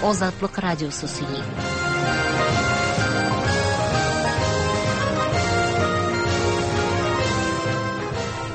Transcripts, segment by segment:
Азатлык радиосы сөйли.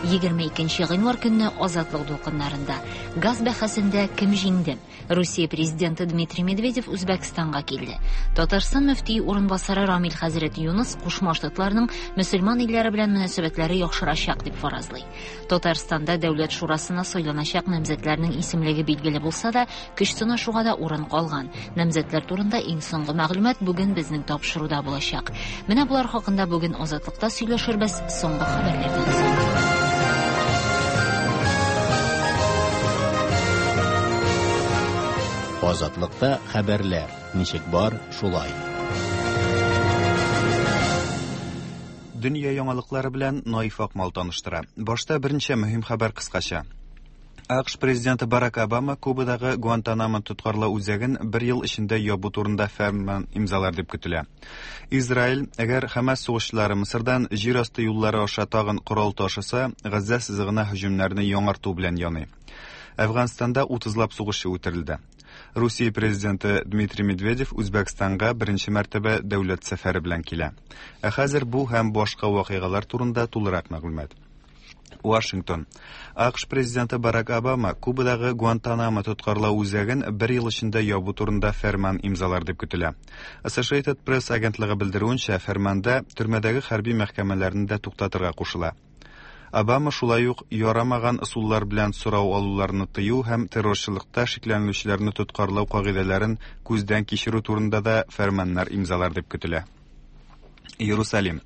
22 гыйнвар көнне Азатлык дулкыннарында газ бәхәсендә кем җиңде? Русия президенты Дмитрий Медведев Үзбәкстанга килде. Татарстан мөфтие урынбасары Рамил хәзрәт Юныс Кушма Штатларның мөселман илләре белән мөнәсәбәтләре яхшырачак дип фаразлый. Татарстанда Дәүләт шурасына сайланачак намзәтләрнең исемлеге билгеле булса да, көч сынашуга да урын калган. Намзәтләр турында иң соңгы мәгълүмат бүген безнең тапшыруда булачак. Менә болар хакында бүген Азатлыкта сөйләшербез соңгы хәбәрләрдән соң. Азатлыкта хәбәрләр ничек бар, шулай. Дөнья яңалыклары белән Наиф Акмал таныштыра. Башта берничә мөһим хәбәр кыскача. АКШ президенты Барак Обама Кубадагы Гуантанамо тоткарлау үзәген бер ел эчендә ябу турында фәрман имзалар дип көтелә. Израиль, әгәр Хәмас сугышчылары Мысырдан җир асты юллары аша тагын корал ташыса, Газзә сызыгына һөҗүмнәрне яңарту белән яный. Әфганстанда утызлап сугышчы үтерелде. Русия президенты Дмитрий Медведев Үзбәкстанга беренче мәртәбә дәүләт сәфәре белән килә. Ә хәзер бу һәм башка вакыйгалар турында тулырак мәгълүмат. Вашингтон. АКШ президенты Барак Обама Кубадагы Гуантанамо тоткарлау үзәген бер ел эчендә ябу турында фәрман имзалар дип көтелә. Associated Press агентлыгы белдерүенчә, фәрманда төрмәдәге хәрби мәхкәмәләрне дә туктатырга кушыла. Обама шулай ук ярамаган ысуллар белән сорау алуларны тыю һәм террорчылыкта шикләнелүчеләрне тоткарлау кагыйдәләрен күздән кичерү турында да фәрманнар имзалар дип көтелә. Иерусалим.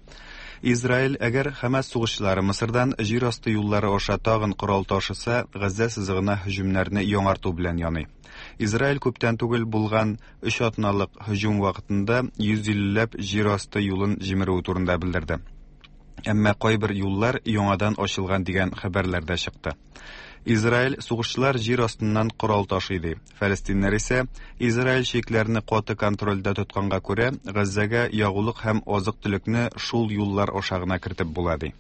Израиль, әгәр Хәмас сугышчылары Мысырдан җир асты юллары аша тагын корал ташыса, Газзә сызыгына һөҗүмнәрне яңарту белән яный. Израиль күптән түгел булган өч атналык һөҗүм вакытында 150 ләп җир асты юлын җимерүе турында белдерде. Әмма кайбер юллар яңадан ачылган дигән хәбәрләр дә чыкты. Израиль сугышчылар җир астыннан корал ташый ди. Фәлестиннәр исә Израиль чикләрне каты контрольдә тотканга күрә, Газзәгә ягулык һәм азык-төлекне шул юллар аша гына кертеп була ди.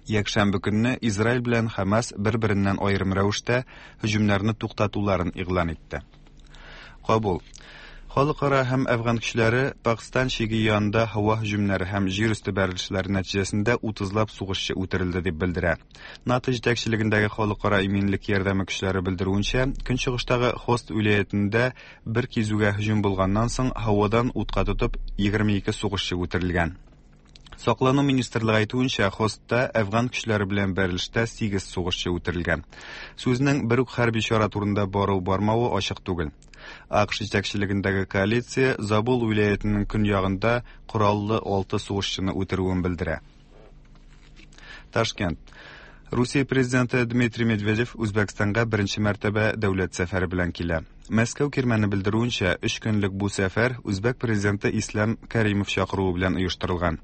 Якшәмбе көнне Израиль белән Хәмас бер-береннән аерым рәвештә һөҗүмнәрне туктатуларын игълан итте. Кабул. Халыкара һәм әфган көчләре Пакстан чиге янында һава һөҗүмнәре һәм җир өсте бәрелешләре нәтиҗәсендә утызлап сугышчы үтерелде дип белдерә. НАТО җитәкчелегендәге халыкара иминлек ярдәме көчләре белдерүенчә, көнчыгыштагы Хост вилаятендә бер кизүгә һөҗүм булганнан соң һавадан утка тотып 22 сугышчы үтерелгән. Саклану министрлыгы әйтүенчә, Хостта әфган көчләре белән бәрелештә 8 сугышчы үтерелгән. Сүзнең бер үк хәрби чара турында бару-бармавы ачык түгел. АКШ җитәкчелегендәге коалиция Забул вилаятенең көньягында кораллы 6 сугышчыны үтерүен белдерә. Ташкент. Русия президенты Дмитрий Медведев Үзбәкстанга беренче мәртәбә дәүләт сәфәре белән килә. Мәскәү кирмәне белдерүенчә, өч көнлек бу сәфәр үзбәк президенты Ислам Каримов чакыруы белән оештырылган.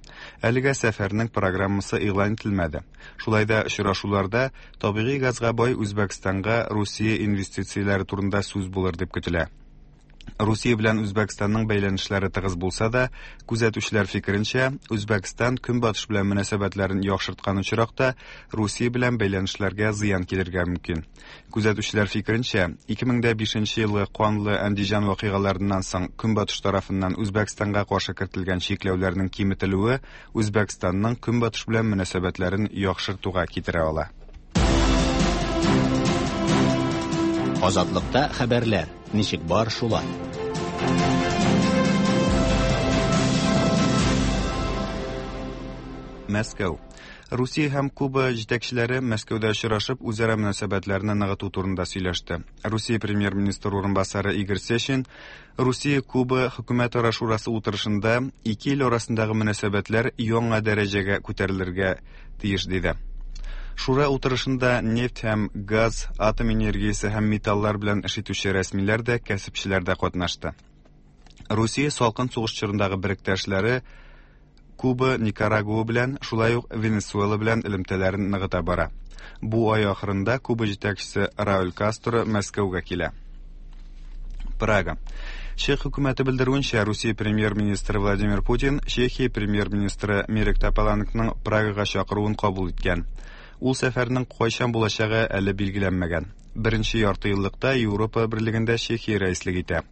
Әлегә сәфәрнең программасы игълан ителмәде. Шулай да очрашуларда табигый газга бай Үзбәкстанга Русия инвестицияләре турында сүз булыр дип көтелә. Русия белән Үзбәкстанның бәйләнешләре тыгыз булса да, күзәтүчеләр фикеренчә, Үзбәкстан Көнбатыш белән мөнәсәбәтләрен яхшырткан очракта Русия белән бәйләнешләргә зыян килергә мөмкин. Күзәтүчеләр фикеренчә, 2005 елгы канлы Әндиҗан вакыйгаларыннан соң Көнбатыш тарафыннан Үзбәкстанга каршы кертелгән чикләүләрнең киметелүе Үзбәкстанның Көнбатыш белән мөнәсәбәтләрен яхшыртуга китерә ала. Азатлыкта хәбәрләр ничек бар шулай. Мәскәү. Русия һәм Куба җитәкчеләре Мәскәүдә очрашып, үзара мөнәсәбәтләрне ныгыту турында сөйләште. Русия премьер-министр урынбасары Игорь Сечин Русия-Куба хөкүмәтара шурасы утырышында ике ил арасындагы мөнәсәбәтләр яңа дәрәҗәгә күтәрелергә тиеш диде. Шура утырышында нефть һәм газ, атом энергиясе һәм металлар белән эш итүче рәсмиләр дә, кәсепчеләр дә катнашты. Русия салкын сугыш чорындагы беректәшләре Куба, Никарагуа белән, шулай ук Венесуэла белән элемтәләрен ныгыта бара. Бу ай ахырында Куба җитәкчесе Рауль Кастро Мәскәүгә килә. Прага. Чех хөкүмәте белдерүенчә, Русия премьер-министры Владимир Путин Чехия премьер-министры Мирек Тополанкның Прагага чакыруын кабул иткән. Ул сәфәрнең кайчан булачагы әле билгеләнмәгән. Беренче яртыеллыкта Европа Берлегендә Чехия рәислек итә.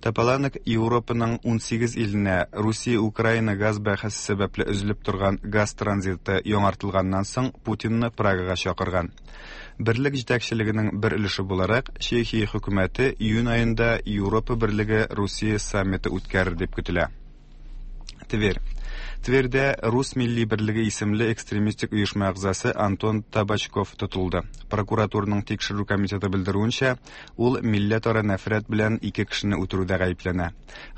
Тополанек Европаның 18 иленә Русия-Украина газ бәхәсе сәбәпле өзелеп торган газ транзиты яңартылганнан соң Путинны Прагага чакырган. Берлек җитәкчелегенең бер өлеше буларак, Чехия хөкүмәте июнь аенда Европа Берлеге Русия саммиты үткәрер дип көтелә. Тверь. Тверьдә Рус милли берлеге исемле экстремистик оешма әгъзасы Антон Табачков тотылды. Прокуратураның тикшерү комитеты белдерүенчә, ул милләтара нәфрәт белән ике кешене үтерүдә гаепләнә.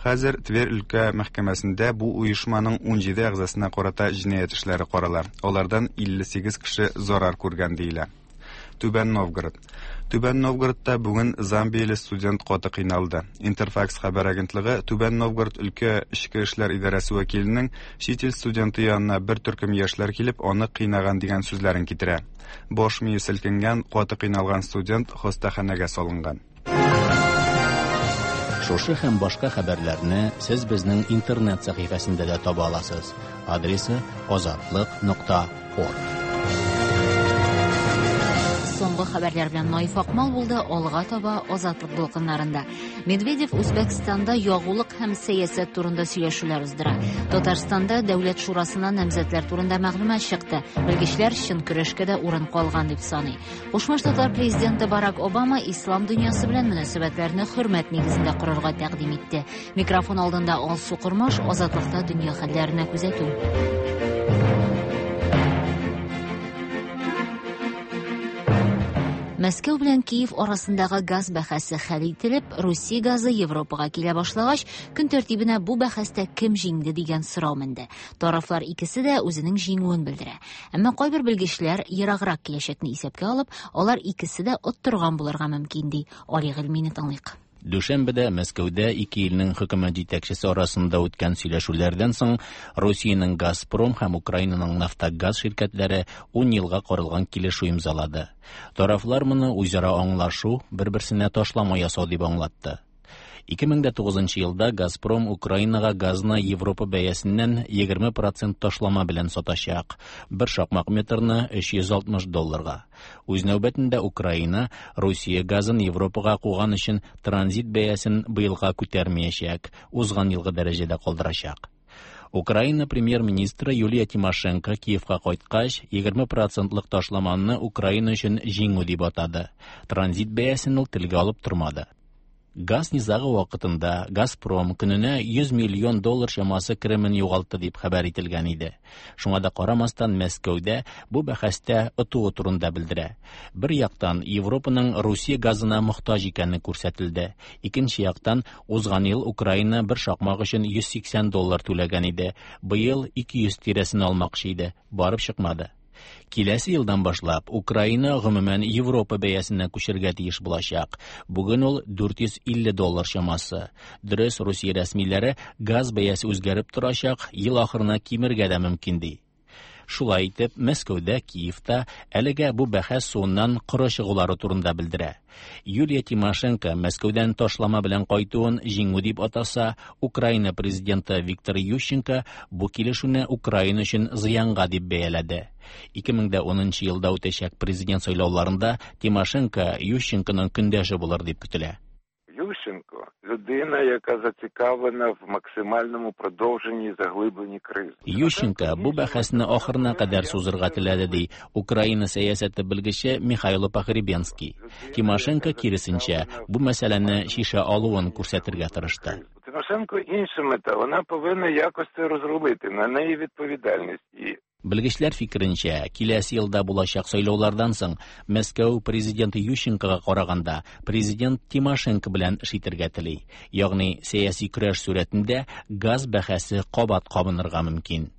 Хәзер Тверь өлкә мәхкәмәсендә бу оешманың 17 әгъзасына карата җинаять эшләре карала. Алардан 58 кеше зарар күргән диелә. Түбән Новгород. Түбән Новгородта бүген замбияле студент каты кыйналды. Интерфакс хәбәр агентлыгы Түбән Новгород өлкә эчке эшләр идарәсе вәкиленең чит ил студенты янына бер төркем яшьләр килеп аны кыйнаган дигән сүзләрен китерә. Баш мие селкенгән, каты кыйналган студент хастаханәгә салынган. Шушы һәм башка хәбәрләрне сез безнең интернет сәхифәсендә дә таба аласыз. Адресы azatliq.org. Соңгы хәбәрләр белән Наиф Акмал булды. Алга таба Азатлык дулкыннарында. Медведев Үзбәкстанда ягулык һәм сәясәт турында сөйләшүләр уздыра. Татарстанда Дәүләт шурасына намзәтләр турында мәгълүмат чыкты. Белгечләр чын көрәшкә дә урын калган дип саный. Кушма Штатлар президенты Барак Обама ислам дөньясы белән мөнәсәбәтләрне хөрмәт нигезендә корырга тәкъдим итте. Микрофон алдында Алсу Кормаш, Азатлыкта дөнья хәлләренә күзәтү. Мәскәү белән Киев арасындагы газ бәхәсе хәл ителеп, Русия газы Европага килә башлагач, көн тәртибенә бу бәхәстә кем җиңде дигән сорау менде. Тарафлар икесе дә үзенең җиңүен белдерә. Әмма кайбер белгечләр ераграк киләчәкне исәпкә алып, алар икесе дә оттырган булырга мөмкин ди. Али Гыйльмине тыңлыйк. Дүшәмбедә Мәскәүдә ике илнең хөкүмәт җитәкчесе арасында үткән сөйләшүләрдән соң Русиянең Газпром һәм Украинаның Нафтогаз ширкәтләре 10 елга корылган килешү имзалады. Тарафлар моны үзара аңлашу, бер-берсенә ташлама ясау дип аңлатты. 2009 елда Газпром Украинага газны Европа бәясеннән 20% ташлама белән сатачак. Бер шакмак метрны 360 долларга. Үз нәүбәтендә Украина Русия газын Европага куган өчен транзит бәясен быелга күтәрмәячәк, узган елгы дәрәҗәдә калдырачак. Украина премьер-министры Юлия Тимошенко Киевка кайткач, 20%лык ташламаны Украина өчен җиңү дип атады. Транзит бәясен ул телгә алып тормады. Газ низагы вакытында Газпром көненә 100 миллион доллар чамасы керемен югалтты дип хәбәр ителгән иде. Шуңа да карамастан Мәскәүдә бу бәхәстә отуы турында белдерә. Бер яктан Европаның Русия газына мохтаҗ икәне күрсәтелде. Икенче яктан узган ел Украина бер шакмак өчен 180 доллар түләгән иде. Быел 200 тирәсен алмакчы иде. Барып чыкмады. Киләсе елдан башлап Украина гомумән Европа бәясенә күчергә тиеш булачак. Бүген ул 450 доллар чамасы. Дөрес, Русия рәсмиләре газ бәясе үзгәреп торачак, ел ахырына кимергә дә мөмкин ди. Шулай итеп, Мәскәүдә, Киевта әлегә бу бәхәс суыннан коры чыгулары турында белдерә. Юлия Тимошенко Мәскәүдән ташлама белән кайтуын җиңү дип атаса, Украина президенты Виктор Ющенко бу килешүне Украина өчен зыянга дип бәяләде. 2010 елда үтәчәк президент сайлауларында Тимошенко Ющенконың көндәше булыр дип көтелә. Ющенко – людина, яка зацікавлена в максимальному продовженні і заглибленні кризи. Ющенко бу бәхәсне ахырына кадәр сузырга теләде, ди Украина сәясәте белгече Михайло Погребенский. Тимошенко киресенчә бу мәсьәләне шиша алуын күрсәтергә тырышты. У Тимошенко інша мета, вона повинна якось це розрулити, на неї відповідальність. І Белгечләр фикеренчә, киләсе елда булачак сайлаулардан соң Мәскәү президенты Ющенкога караганда президент Тимошенко белән эш итәргә тели. Ягъни сәяси көрәш сурәтендә газ бәхәсе кабат кабынырга мөмкин.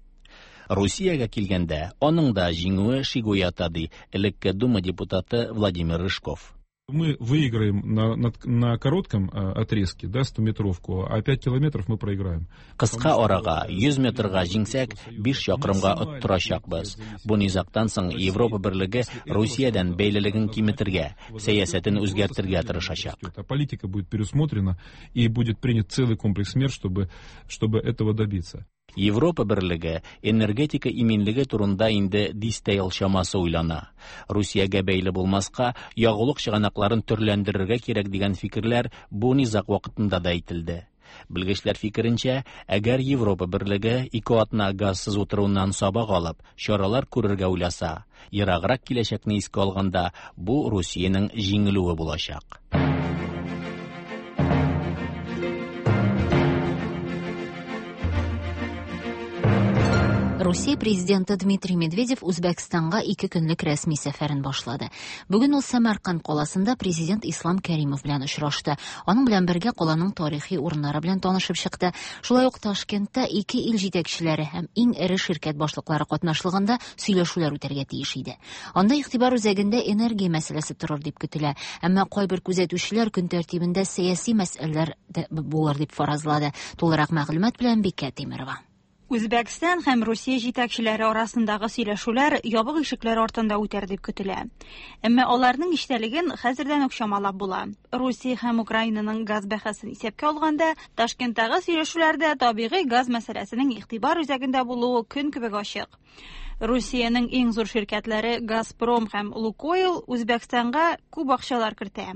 Русиягә килгәндә, аның да җиңүе шик уята, ди элекке Дума депутаты Владимир Рыжков. Мы выиграем на коротком отрезке, да, 100-метровку, а 5 километров мы проиграем. Кыска арага 100 метрга җиңсәк, 5 чакрымга оттырачакбыз. Бу низактан соң Европа берлеге Русиядән бәйлелеген киметергә, сәясәтен үзгәртергә тырышачак. Политика будет пересмотрена и будет принят целый комплекс мер, чтобы этого добиться. Европа берлеге энергетика иминлеге турында инде дистә ел чамасы уйлана. Русиягә бәйле булмаска, ягулык чыганакларын төрләндерергә кирәк дигән фикерләр бу низаг вакытында да әйтелде. Белгечләр фикеренчә, әгәр Европа берлеге ике атна газсыз утыруыннан сабак алып, чаралар күрергә уйласа, ераграк киләчәкне искә алганда, бу Русиянең җиңелүе булачак. Русия президенты Дмитрий Медведев Үзбәкстанга ике көнлек рәсми сәфәрен башлады. Бүген ул Сәмәрканд каласында президент Ислам Кәримов белән очрашты. Аның белән бергә каланың тарихи урыннары белән танышып чыкты. Шулай ук Ташкентта ике ил җитәкчеләре һәм иң эре ширкәт башлыклары катнашлыгында сөйләшүләр үтәргә тиеш иде. Анда игътибар үзәгендә энергия мәсьәләсе торыр дип көтелә. Әмма кайбер күзәтүчеләр көн тәртибендә сәяси мәсьәләләр дә булыр дип фаразлады. Тулырак мәгълүмат белән Бикә Тимерова. Үзбәкстан һәм Русия җитәкчеләре арасындагы сөйләшүләр ябык ишекләр артында үтәр дип көтелә. Әмма аларның эчтәлеген хәзердән үк чамалап була. Русия һәм Украинаның газ бәхәсен исәпкә алганда, Ташкенттагы сөйләшүләрдә табигый газ мәсьәләсенең игътибар үзәгендә булуы көн кебек ачык. Русиянең иң зур ширкәтләре Газпром һәм Лукойл Үзбәкстанга күп акчалар кертә.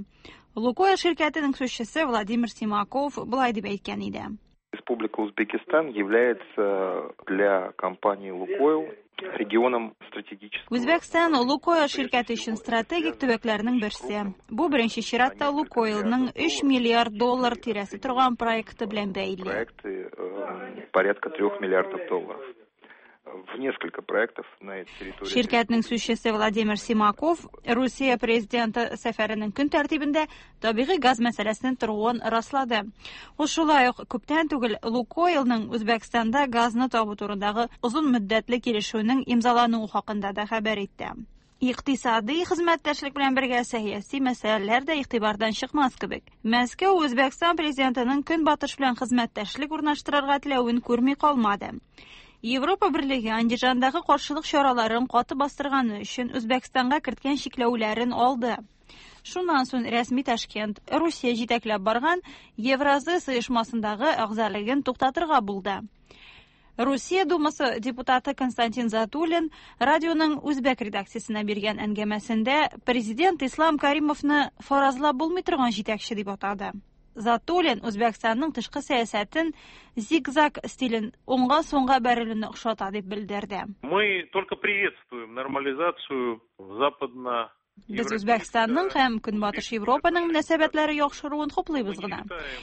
Лукойл ширкәтенең сүзчесе Владимир Симаков болай дип әйткән иде. Республика Узбекистан является для компании «Лукойл» регионом стратегического... Үзбәкстан Лукойл ширкәте өчен стратегик төбәкләрнең берсе. Бу беренче чиратта Лукойлның 3 миллиард доллар тирәсе торган проекты белән бәйле. Проекты порядка 3 миллиардов долларов. В несколько проектов на территории... Ширкәтнең сүзчесе Владимир Симаков Русия президенты сәфәренең көн тәртибендә табигый газ мәсьәләсенең торуын раслады. Ул шулай ук күптән түгел Лукойлның Үзбәкстанда газны табу турындагы озын мөддәтле килешүнең имзалануы хакында да хәбәр итте. Икътисади хезмәттәшлек белән бергә сәяси мәсьәләләр дә игътибардан чыкмас кебек. Мәскәү Үзбәкстан президентының Көнбатыш белән хезмәттәшлек урнаштырырга теләвен күрми калмады. Европа берлеге Андижандагы каршылык чараларын каты бастырганы өчен Үзбәкстанга керткән чикләүләрен алды. Шуннан соң рәсми Ташкент Русия җитәкләп барган Евразес оешмасындагы әгъзалыгын туктатырга булды. Русия Думасы депутаты Константин Затулин радионың үзбәк редакциясенә биргән әңгәмәсендә президент Ислам Каримовны фаразлап булмый торган җитәкче дип атады. Затулин Үзбәкстанның тышкы сәясәтен зигзаг стилен уңга-сулга бәрелүне охшата дип белдерде. Мы только приветствуем нормализацию западно Без Үзбәкстанның һәм Көнбатыш Европаның мөнәсәбәтләре яхшыруын хуплыйбыз гына.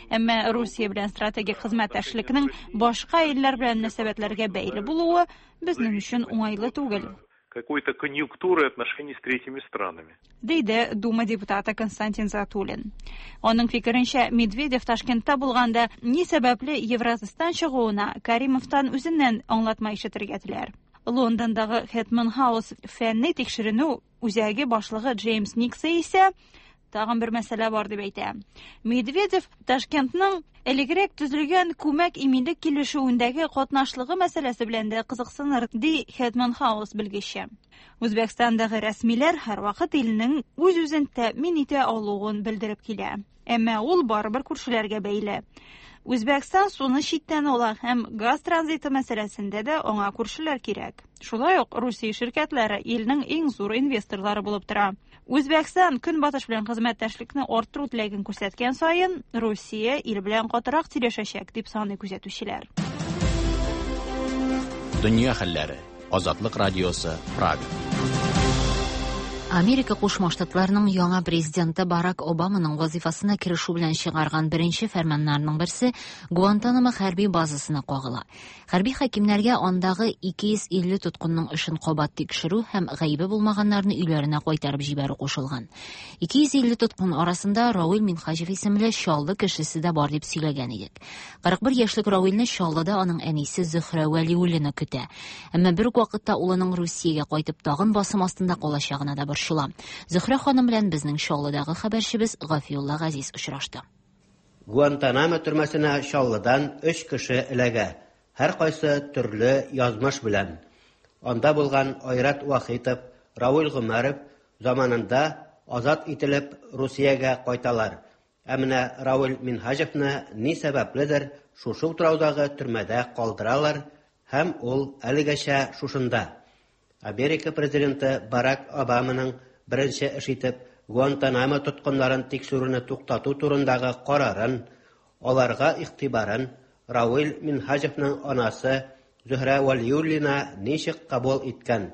Әмма Русия белән стратегик хезмәттәшлекнең башка илләр белән мөнәсәбәтләргә бәйле булуы безнең өчен уңайлы түгел. Какой-то конъюнктуры отношений с третьими странами. Диде Дума депутаты Константин Затулин. Аның фикеренчә, Медведев Ташкентта булганда ни сәбәпле Евразестан чыгуына Каримовтан үзеннән аңлатма ишетергә теләр. Лондондагы Хэтман Хаус фәнни тикшеренү үзәге башлыгы Джеймс Никса исә тагын бер мәсьәлә бар дип әйтә. Медведев Ташкентның элегрәк төзелгән күмәк иминлек килешүендәге катнашлыгы мәсьәләсе белән дә кызыксыныр, ди Хэтман Хаус белгече. Үзбәкстандагы рәсмиләр һәрвакыт илнең үз-үзен тәэмин итә алуын белдереп килә. Әмма ул барыбер күршеләргә бәйле. Үзбәкстан суны читтән ала һәм газ транзиты мәсьәләсендә дә аңа күршеләр кирәк. Шулай ук Русия ширкәтләре илнең иң зур инвесторлары булып тора. Үзбәкстан Көнбатыш белән хезмәттәшлекне арттыру теләген күрсәткән саен, Русия ил белән катырак сөйләшәчәк, дип саный күзәтүчеләр. Дөнья хәлләре. Азатлык радиосы, Прага. Америка Кушма Штатларының яңа президенты Барак Обаманың вазифасына керешү белән чыгарган беренче фәрманнарының берсе Гуантанамо хәрби базасына кагыла. Хәрби хакимнәргә андагы 250 тоткынның эшен кабат тикшерү һәм гаебе булмаганнарны өйләренә кайтарып җибәрү кушылган. 250 тоткын арасында Равил Минхаҗев исемле Чаллы кешесе дә бар дип сөйләгән идек. 41 яшьлек Равилне Чаллыда аның әнисе Зөһрә Вәлиуллина көтә. Әмма бер үк вакытта улының Русиягә кайтып тагын басым астында калачагына да борчыла. Зөһрә ханым белән безнең Чаллыдагы хәбәрчебез Гафиулла Газиз очрашты. Гуантанамо төрмәсенә Чаллыдан 3 кеше эләгә. Һәр кайсы төрле язмыш белән. Анда булган Айрат Вахитов, Равил Гомәров заманында азат ителеп Русиягә кайталар. Ә менә Равил Минһаҗевны ни сәбәпледер шушы утраудагы төрмәдә калдыралар. Һәм ул әлегәчә шушында. Америка президенты Барак Обаманың беренче эш итеп Гуантанамо тоткыннарын тикшерүне туктату турындагы карарын, аларга игътибарын Равил Минһаҗевның анасы Зөһрә Вәлиуллина ничек кабул иткән?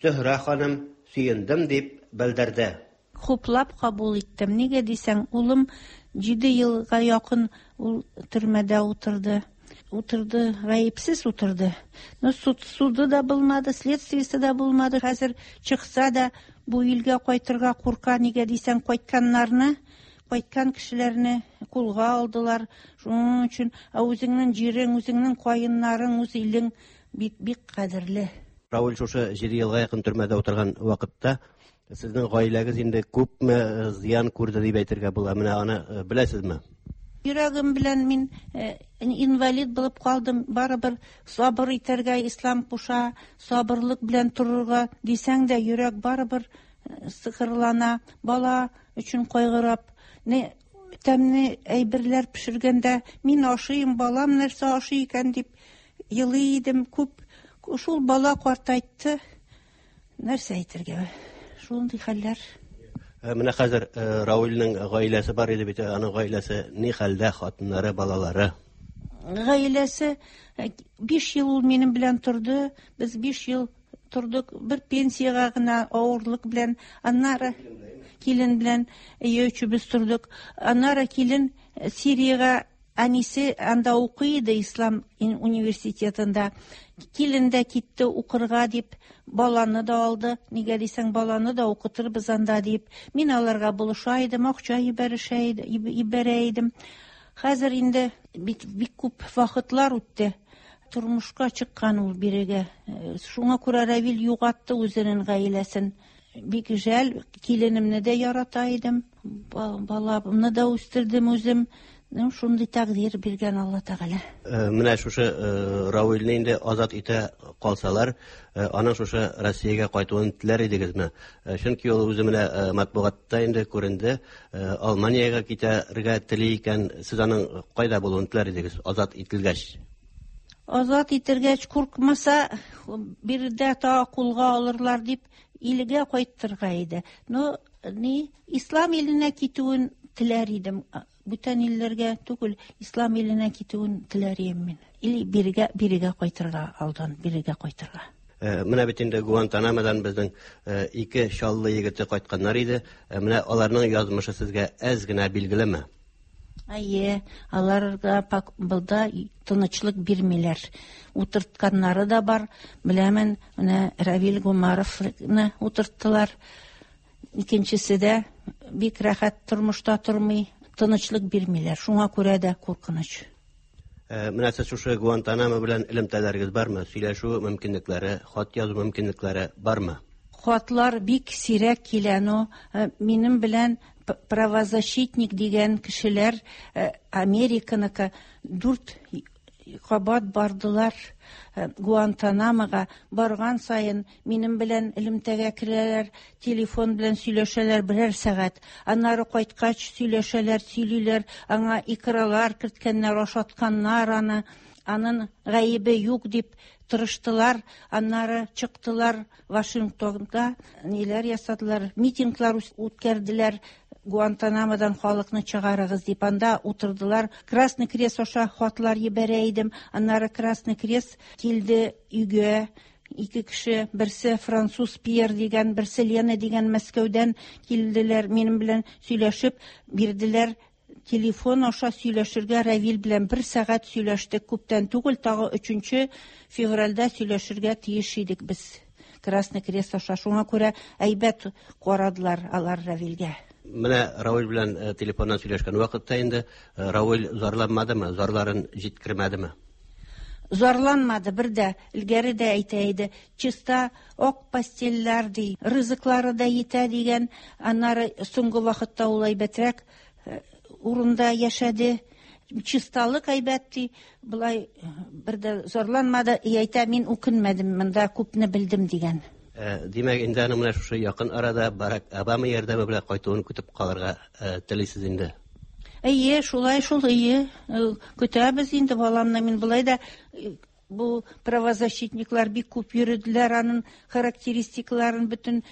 Зөһрә ханым, сөендем, дип белдерде. Хуплап кабул иттем. Нигә дисәң, улым җиде елга якын ул төрмәдә утырды. Утырды, гаепсез утырды. Но суд, суды да булмады, следствиесе дә булмады. Хәзер чыкса да, бу илгә кайтырга курка. Нигә дисәң, кайтканнарны, кайткан кешеләрне кулга алдылар. Шуның өчен, ә үзеңнең җирең, үзеңнең каеннарың, үз илең бик бик кадерле. Равил шушы 7 елга якын төрмәдә утырган вакытта сезнең гаиләгез инде күпме зыян күрде дип әйтергә була? Менә аны беләсезме? Йөрәгем белән мин инвалид булып калдым. Барыбер сабыр итәргә ислам куша, сабырлык белән торырга дисәң дә, йөрәк барыбер сыкырлана. Бала өчен кайгырап, не тәмле әйберләр пешергәндә мин ашыйм, балам нәрсә ашый икән дип елый идем күп. Шул бала картайтты. Нәрсә әйтергә? Шундый хәлләр. Менә хәзер Рауилнең гаиләсе бар иде бит, аның гаиләсе ни хәлдә, хатыннары, балалары? Гаиләсе 5 ел ул минем белән торды. Без 5 ел тордык бер пенсиягә генә авырлык белән. Аннары килен белән өйдә өчебез тордык. Аннары килен Сириягә әнисе анда укый иде ислам университетында. Килен дә китте укырга дип, баланы да алды. Нигә дисәң, баланы да укытырбыз анда дип. Мин аларга булыша идем, акча җибәрешә җибәрә идем. Хәзер инде бик, бик күп вакытлар үтте. Тормышка чыккан ул бирегә. Шуңа күрә Равил югалтты үзенең гаиләсен. Бик жәл, киленемне дә ярата идем. Баламны да үстердем үзем. Ну, шундый тәкъдир биргән Алла Тәгалә. Менә шушы Равилне инде азат итә калсалар, аның шушы Россиягә кайтуын теләр идегезме? Чөнки ул үзе менә матбугатта инде күренде, Алманиягә китәргә тели икән, сез аның кайда булуын теләр идегез, азат ителгәч? Азат ителгәч, куркмаса, биредә тагы кулга алырлар дип, илгә кайтырга иде. Но ни, ислам иленә китүен теләр идем. Бүтән илләргә түгел, ислам иленә китүен теләр идем мин. Или бирегә, бирегә кайтырга алдан, бирегә кайтырга. Менә бит инде Гуантанамодан безнең ике Чаллы егете кайтканнар иде. Менә аларның язмышы сезгә әз генә билгелеме? Әйе, аларга булда тынычлык бирмиләр. Утыртканнары да бар. Беләмен, менә Равил Гумаровны утырттылар. Икенчесе дә бик рәхәт тормышта тормый, тынычлык бирмиләр. Шуңа күрә дә куркыныч. Менә сез шушы Гуантанамо белән элемтәләрегез бармы? Сөйләшү мөмкинлекләре, хат язу мөмкинлекләре бармы? Хатлар бик сирәк килә, но минем белән правозащитник дигән кешеләр Американыкы 4 кабат бардылар Гуантанамога. Барган саен минем белән элемтәгә керәләр, телефон белән сөйләшәләр берәр сәгать. Аннары кайткач сөйләшәләр, сөйлиләр, аңа икралар керткәннәр, ашатканнар аны. Аның гаебе юк дип тырыштылар, аннары чыктылар Вашингтонга, ниләр ясадылар, митинглар үткәрделәр, Гуантанамодан халыкны чыгарыгыз дип, анда утырдылар. Красный Крест аша хатлар җибәрә идем. Аннары Красный Крест килде өйгә. Ике кеше, берсе француз Пьер дигән, берсе Лена дигән Мәскәүдән килделәр, минем белән сөйләшеп бирделәр. Телефон аша сөйләшергә Равил белән бер сәгать сөйләштек. Күптән түгел, тагы 3 февральдә сөйләшергә тиеш идек без. Красный Крест аша. Шуңа күрә әйбәт карадылар алар Равилгә. Менә Равил белән телефоннан сөйләшкән вакытта инде Равил зарланмадымы, зарларын җиткермәдеме? Зарланмады бер дә, илгәре дә әйтә иде. Чиста ак постельләр ди, ризыклары да җитә дигән. Аннары соңгы вакытта ул әйбәтрәк урында яшәде. Чисталык әйбәт ди. Болай бер дә зарланмады. И әйтә, мин үкенмәдем, монда күпне белдем дигән. Димәк, инде аның менә шушы якын арада Барак Обама ярдәме белән кайтуын көтеп калырга телисез инде. Әйе, шулай шул, әйе. Көтәбез инде баламны. Мин болай да Бу правозащитниклар бик күп йөрделәр, аның характеристикаларын, бөтен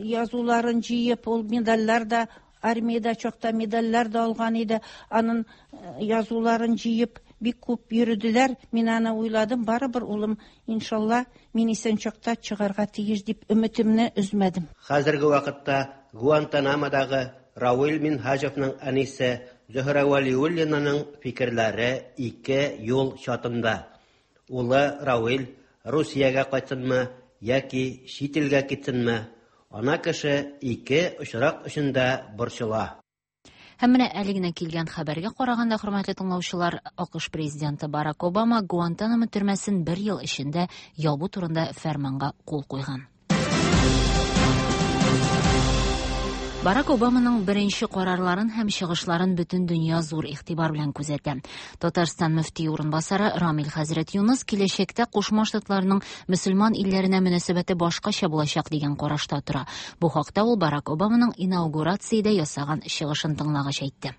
язуларын җыеп, ул медальләр дә, армиядә чакта медальләр дә алган иде. Аның язуларын җыеп, бик күп йөрделәр. Мин аны уйладым, барыбер улым, иншалла, мин исән чакта чыгарга тиеш дип өметемне өзмәдем. Хәзерге вакытта Гуантанамодагы Равил Минһаҗевның әнисе Зөһрә Вәлиуллинаның фикерләре ике юл чатында. Улы Равил Русиягә кайтсынмы яки чит илгә китсенме? Ана кеше ике очрак өчен дә борчыла. Һәм менә әле генә килгән хәбәргә караганда, хөрмәтле тыңлаучылар, АКШ президенты Барак Обама Гуантанамо төрмәсен бер ел эчендә ябу турында фәрманга кул куйган. Барак Обаманың беренче карарларын һәм чыгышларын бөтен дөнья зур игътибар белән күзәтә. Татарстан мөфтие урынбасары Рамил хәзрәт Юныс киләчәктә Кушма Штатларның мөселман илләренә мөнәсәбәте башкача булачак дигән карашта тора. Бу хакта ул Барак Обаманың инаугурациядә ясаган чыгышын тыңлагач әйтте.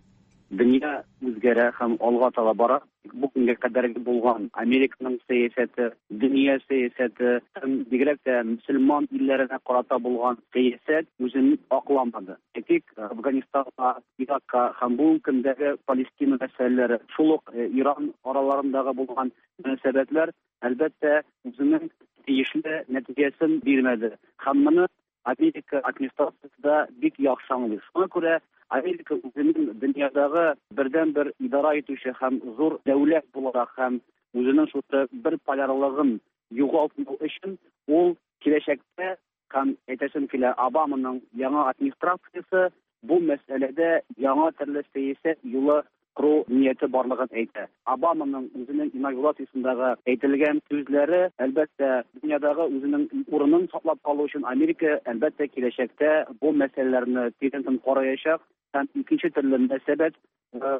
Дөнья үзгәрә һәм алга таба бара. Бу көнгә кадәр булган Американың сәясәте, дөнья сәясәте һәм бигрәк тә мөселман илләренә карата булган сәясәт үзен акламады. Әйтик, Афганистанга, Иракка һәм бүгенге көндәге Палестина мәсьәләләре, шул ук Иран араларындагы булган мөнәсәбәтләр, әлбәттә, үзенең тиешле нәтиҗәсен бирмәде. Һәм моны Америка администрациясе дә бик яхшы аңлый. Шуңа күрә Америка үзенең дөньядагы бердән-бер идара итүче һәм зур дәүләт буларак һәм үзенең шушы бер полярлыгын югалтмау өчен ул киләчәктә һәм әйтәсем килә, Обаманың яңа администрациясе бу мәсьәләдә яңа төрле сәясәт юлы кору нияте барлыгын әйтә. Обаманың үзенең инаугурациясендәге әйтелгән сүзләре, әлбәттә, дөньядагы үзенең урынын саклап калу өчен Америка, әлбәттә, киләчәктә бу мәсьәләләрне тирәнтен караячак һәм икенче төрле мөнәсәбәт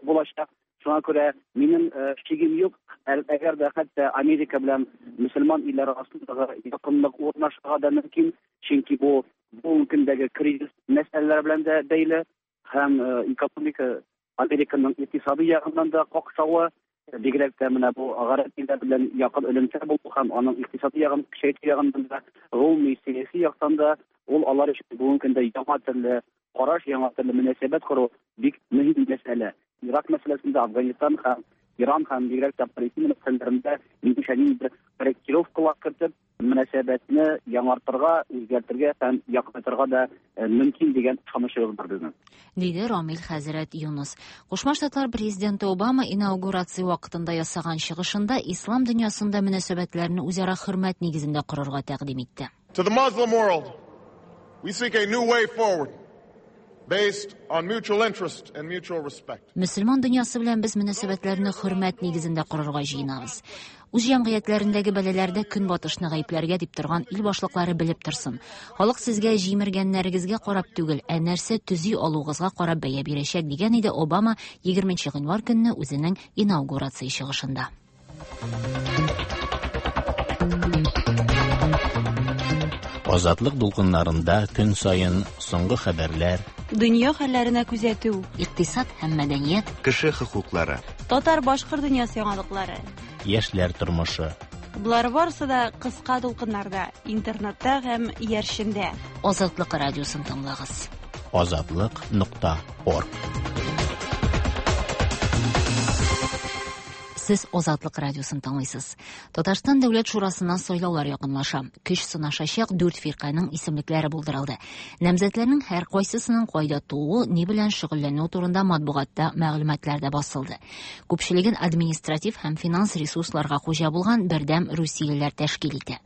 булачак. Шуңа күрә минем шигем юк, әгәр дә хәтта Америка белән мөселман илләре арасындагы якынлык урнашырга да мөмкин, чөнки бу бүгенге көндәге кризис мәсьәләләре белән дә бәйле һәм экономика Американың икътисади ягыннан да какшавы, бигрәк тә менә бу гарәп илләре белән якын элемтә булу һәм аның икътисади ягын көчәйтү ягыннан да, гомуми сәяси яктан да ул алар өчен бүгенге көндә яңа төрле караш, яңа төрле мөнәсәбәт кору бик мөһим мәсьәлә. Ирак мәсьәләсендә Афганистан һәм Иран һәм бигрәк тә Палестина мәсьәләләрендә минемчә ниндидер корректировкалар кертеп, мөнәсәбәтне яңартырга, үзгәртергә һәм якынайтырга да мөмкин дигән ышанычыбыз бар безнең. Диде Рамил хәзрәт Юныс. Кушма Штатлар президенты Обама инаугурация вакытында ясаган чыгышында ислам дөньясында мөнәсәбәтләрне үзара хөрмәт нигезендә корырга тәкъдим итте. To the Muslim world, we seek a new way forward based on mutual interest and mutual respect. Мөселман дөньясы белән без мөнәсәбәтләрне хөрмәт нигезендә корырга җыенабыз. Үз җәмгыятьләрендәге бәлаләрдә көнбатышны гаепләргә дип торган ил башлыклары белеп торсын. Халык сезгә җимергәннәрегезгә карап түгел, ә нәрсә төзи алуыгызга карап бәя бирәчәк, дигән иде Обама 20 гыйнвар көнне үзенең инаугурация чыгышында. Азатлык дулкыннарында көн саен соңгы хәбәрләр, дөнья хәлләренә күзәтү, икътисад һәм мәдәният, кеше хокуклары, татар-башкорт дөньясы яңалыклары, яшьләр тормышы. Болар барысы да кыска дулкыннарда, интернетта һәм иярчендә. Азатлык радиосын тыңлагыз. Азатлык.орг. Сез Азатлык радиосын тыңлыйсыз. Татарстан Дәүләт Шурасына сайлаулар якынлаша. Көч сынашачак 4 фирканең исемлекләре булдырылды. Намзәтләрнең һәр кайсысының кайда тууы, ни белән шөгыльләнүе турында матбугатта мәгълүматлар да басылды. Күпчелеген административ һәм финанс ресурсларга хуҗа булган бердәм русиялеләр тәшкил итә.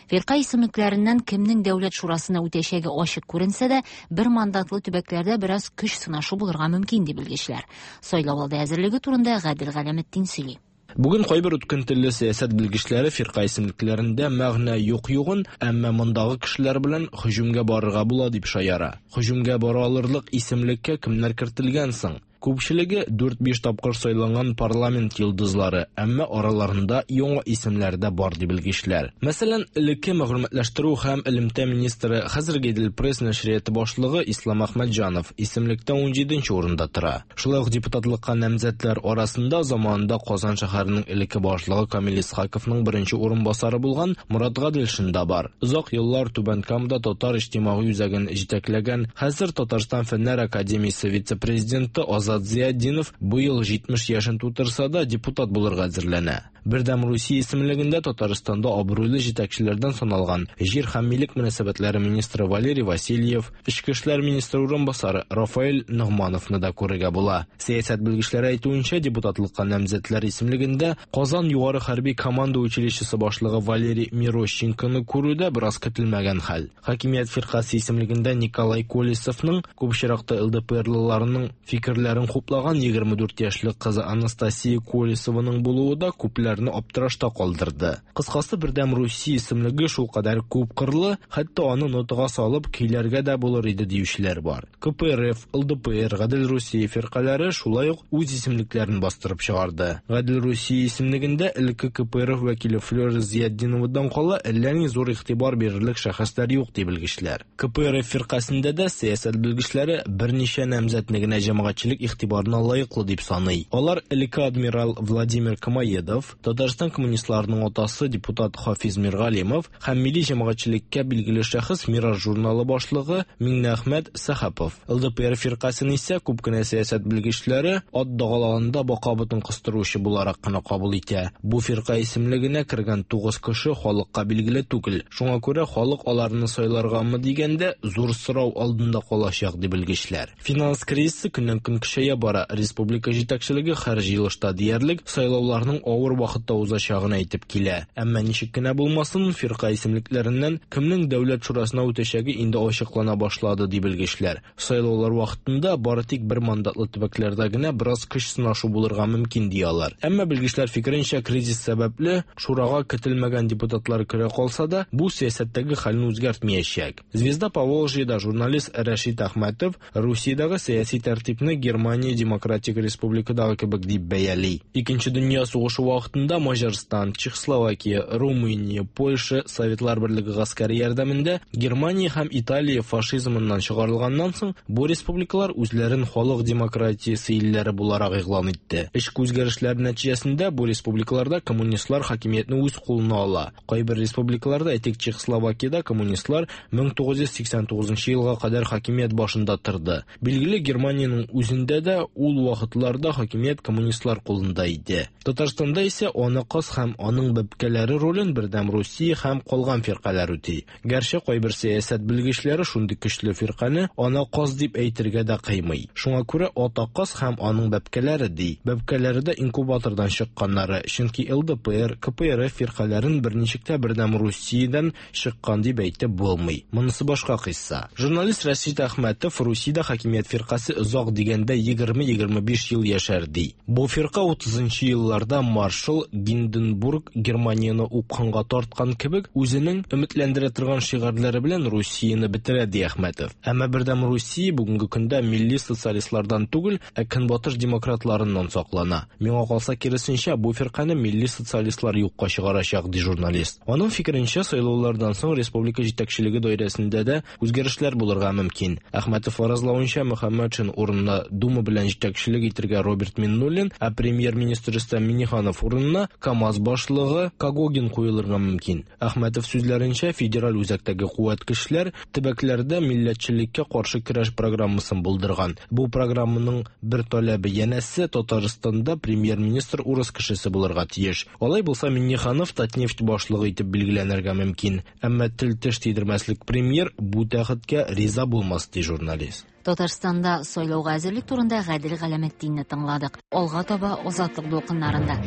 Фирка исемлекләреннән кемнең Дәүләт Шурасына үтәчәге ачык күренсә дә, бер мандатлы төбәкләрдә бераз көч сынашу булырга мөмкин ди белгечләр. Сайлау алды әзерлеге турында Гадел Галәметдин сөйли. Бүген кайбер үткен телле сәясәт белгечләре фирка исемлекләрендә мәгънә юк югын, әмма мондагы кешеләр белән һөҗүмгә барырга була дип шаяра. Һөҗүмгә бара алырлык исемлеккә кемнәр кертелгән соң? Күпчелеге 4-5 тапкыр сайланган парламент йолдызлары, әмма араларында яңа исемнәр дә бар ди белгечләр. Мәсәлән, элекке мәгълүматлаштыру һәм элемтә министры, хәзерге Идел Пресс нәшрияты башлыгы Ислам Әхмәтҗанов исемлектә 17 урында тора. Шулай ук депутатлыкка намзәтләр арасында заманында Казан шәһәренең элекке башлыгы Камил Исхаковның беренче урынбасары булган Мурат Гаделшин да бар. Озак еллар Түбән Камада татар иҗтимагый үзәген җитәкләгән, хәзер Татарстан Фәннәр академиясе вице-президенты Азат Зиятдинов быел 70 яшен тутырса да депутат булырга әзерләнә. Бердәм Русия исемлегендә Татарстанда абруйлы җитәкчеләрдән саналган җир һәм милек мөнәсәбәтләре министры Валерий Васильев, эчке эшләр министры урынбасары Рафаэль Ногмановны да күрергә була. Сәясәт белгечләре әйтүенчә, депутатлыкка намзәтләр исемлегендә Казан югары хәрби команда училищесы башлыгы Валерий Мирощенконы күрү дә бераз көтелмәгән хәл. Хакимият фиркасе исемлегендә Николай Колесовның күп очракта ЛДПРлыларның фикерләрен хуплаган 24 яшьлек кызы Анастасия Колесованың булуы да күпләрне аптырашта калдырды. Кыскасы, Бердәм Русия исемлеге шулкадәр күпкырлы, хәтта аны нотага салып көйләргә дә булыр иде диючеләр бар. КПРФ, ЛДПР, Гадел Русия фиркаләре шулай ук үз исемлекләрен бастырып чыгарды. Гадел Русия исемлегендә элекке КПРФ вәкиле Флера Зиятдиновадан кала әллә ни зур игътибар бирерлек шәхесләр юк ди белгечләр. КПРФ фиркасендә дә сәясәт белгечләре берничә намзәтне генә җәмәгатьчелек игътибарына лаеклы дип саный. Алар элекке адмирал Владимир Комоедов, Татарстан коммунистларының атасы депутат Хафиз Миргалимов һәм милли җәмәгатьчелеккә билгеле шәхес Мираж журналы башлыгы Миңнеәхмәт Сәхапов. ЛДПР фиркасен исә күп кенә сәясәт белгечләре ат дагалаганда бака ботын кыстыручы буларак кына кабул итә. Бу фирка исемлегенә кергән 9 кеше халыкка билгеле түгел. Шуңа күрә халык аларны сайларгамы дигәндә зур сорау алдында калачак ди белгечләр. Финанс кризисы көннән-көн көчәя бара. Республика җитәкчелеге һәр җыелышта диярлек сайлауларның авыр вакытта узачагын әйтеп килә. Әмма ничек кенә булмасын, фирка исемлекләреннән кемнең дәүләт шурасына үтәчәге инде ачыклана башлады, ди белгечләр. Сайлаулар вакытында бары тик бер мандатлы төбәкләрдә генә бераз көч сынашу булырга мөмкин, ди алар. Әмма белгечләр фикеренчә, кризис сәбәпле шурага көтелмәгән депутатлар керә калса да, бу сәясәттәге хәлне үзгәртмәячәк. Звезда Поволжьеда журналист Рәшит Әхмәтов Русиядәге сәяси тәртипне Германия Демократик Республикадагы кебек дип бәяли. Икенче дөнья сугышы вакытында Маҗарстан, Чехословакия, Румыния, Польша Советлар Берлеге гаскәре ярдәмендә Германия һәм Италия фашизмыннан чыгарылганнан соң, бу республикалар үзләрен халык демократиясе илләре буларак игълан итте. Эчке үзгәрешләр нәтиҗәсендә бу республикаларда коммунистлар хакимиятне үз кулына ала. Кайбер республикаларда, әйтик, Чехословакиядә коммунистлар 1989 елга кадәр хакимият башында торды. Билгеле, Германиянең үзендә дә ул вакытларда хакимият коммунистлар кулында иде. Татарстанда исә ана каз һәм аның бәбкәләре ролен Бердәм Русия һәм калган фиркаләр үти. Гәрчә кайбер сәясәт белгечләре шундый көчле фиркане ана каз дип әйтергә дә кыймый. Шуңа күрә ата каз һәм аның бәбкәләре ди. Бәбкәләре дә инкубатордан чыкканнары, чөнки ЛДПР, КПРФ фиркаләрен берничек тә Бердәм Русиядән чыккан дип әйтеп булмый. Монысы башка кыйсса. Журналист Рәшит Әхмәтов Русиядә хакимият фиркасе озак дигәндә 20-25 ел яшәр ди. Бу фирка 30 нчы елларда маршал Гинденбург Германияне упкынга тарткан кебек, үзенең өметләндерә торган шигарьләре белән Русияне бетерә, ди Әхмәтов. Әмма Бердәм Русия бүгенге көндә милли социалистлардан түгел, ә көнбатыш демократларыннан саклана. Миңа калса, киресенчә, бу фиркане милли социалистлар юкка чыгарачак, ди журналист. Аның фикеренчә, сайлаулардан соң республика җитәкчелеге даирәсендә дә үзгәрешләр булырга мөмкин. Әхмәтов фаразлавынча, Мөхәммәтшин урынына Дума белән җитәкчелек итергә Роберт Миннуллин, ә премьер-министр Рөстәм Миңнеханов урынына КАМАЗ башлыгы Когогин куелырга мөмкин. Әхмәтов сүзләренчә, федераль үзәктәге куәт көчләр төбәкләрдә милләтчелеккә каршы көрәш программасын булдырган. Бу программаның бер таләбе, янәсе, Татарстанда премьер-министр урыс кешесе булырга тиеш. Алай булса, Миңнеханов Татнефть башлыгы итеп билгеләнергә мөмкин. Әмма тел-теш тидермәслек премьер бу тәхеткә риза булмас, ди журналист. Татарстанда сайлауга әзерлек турында Гадел Галәметдинне тыңладык. Алга таба Азатлык дулкыннарында.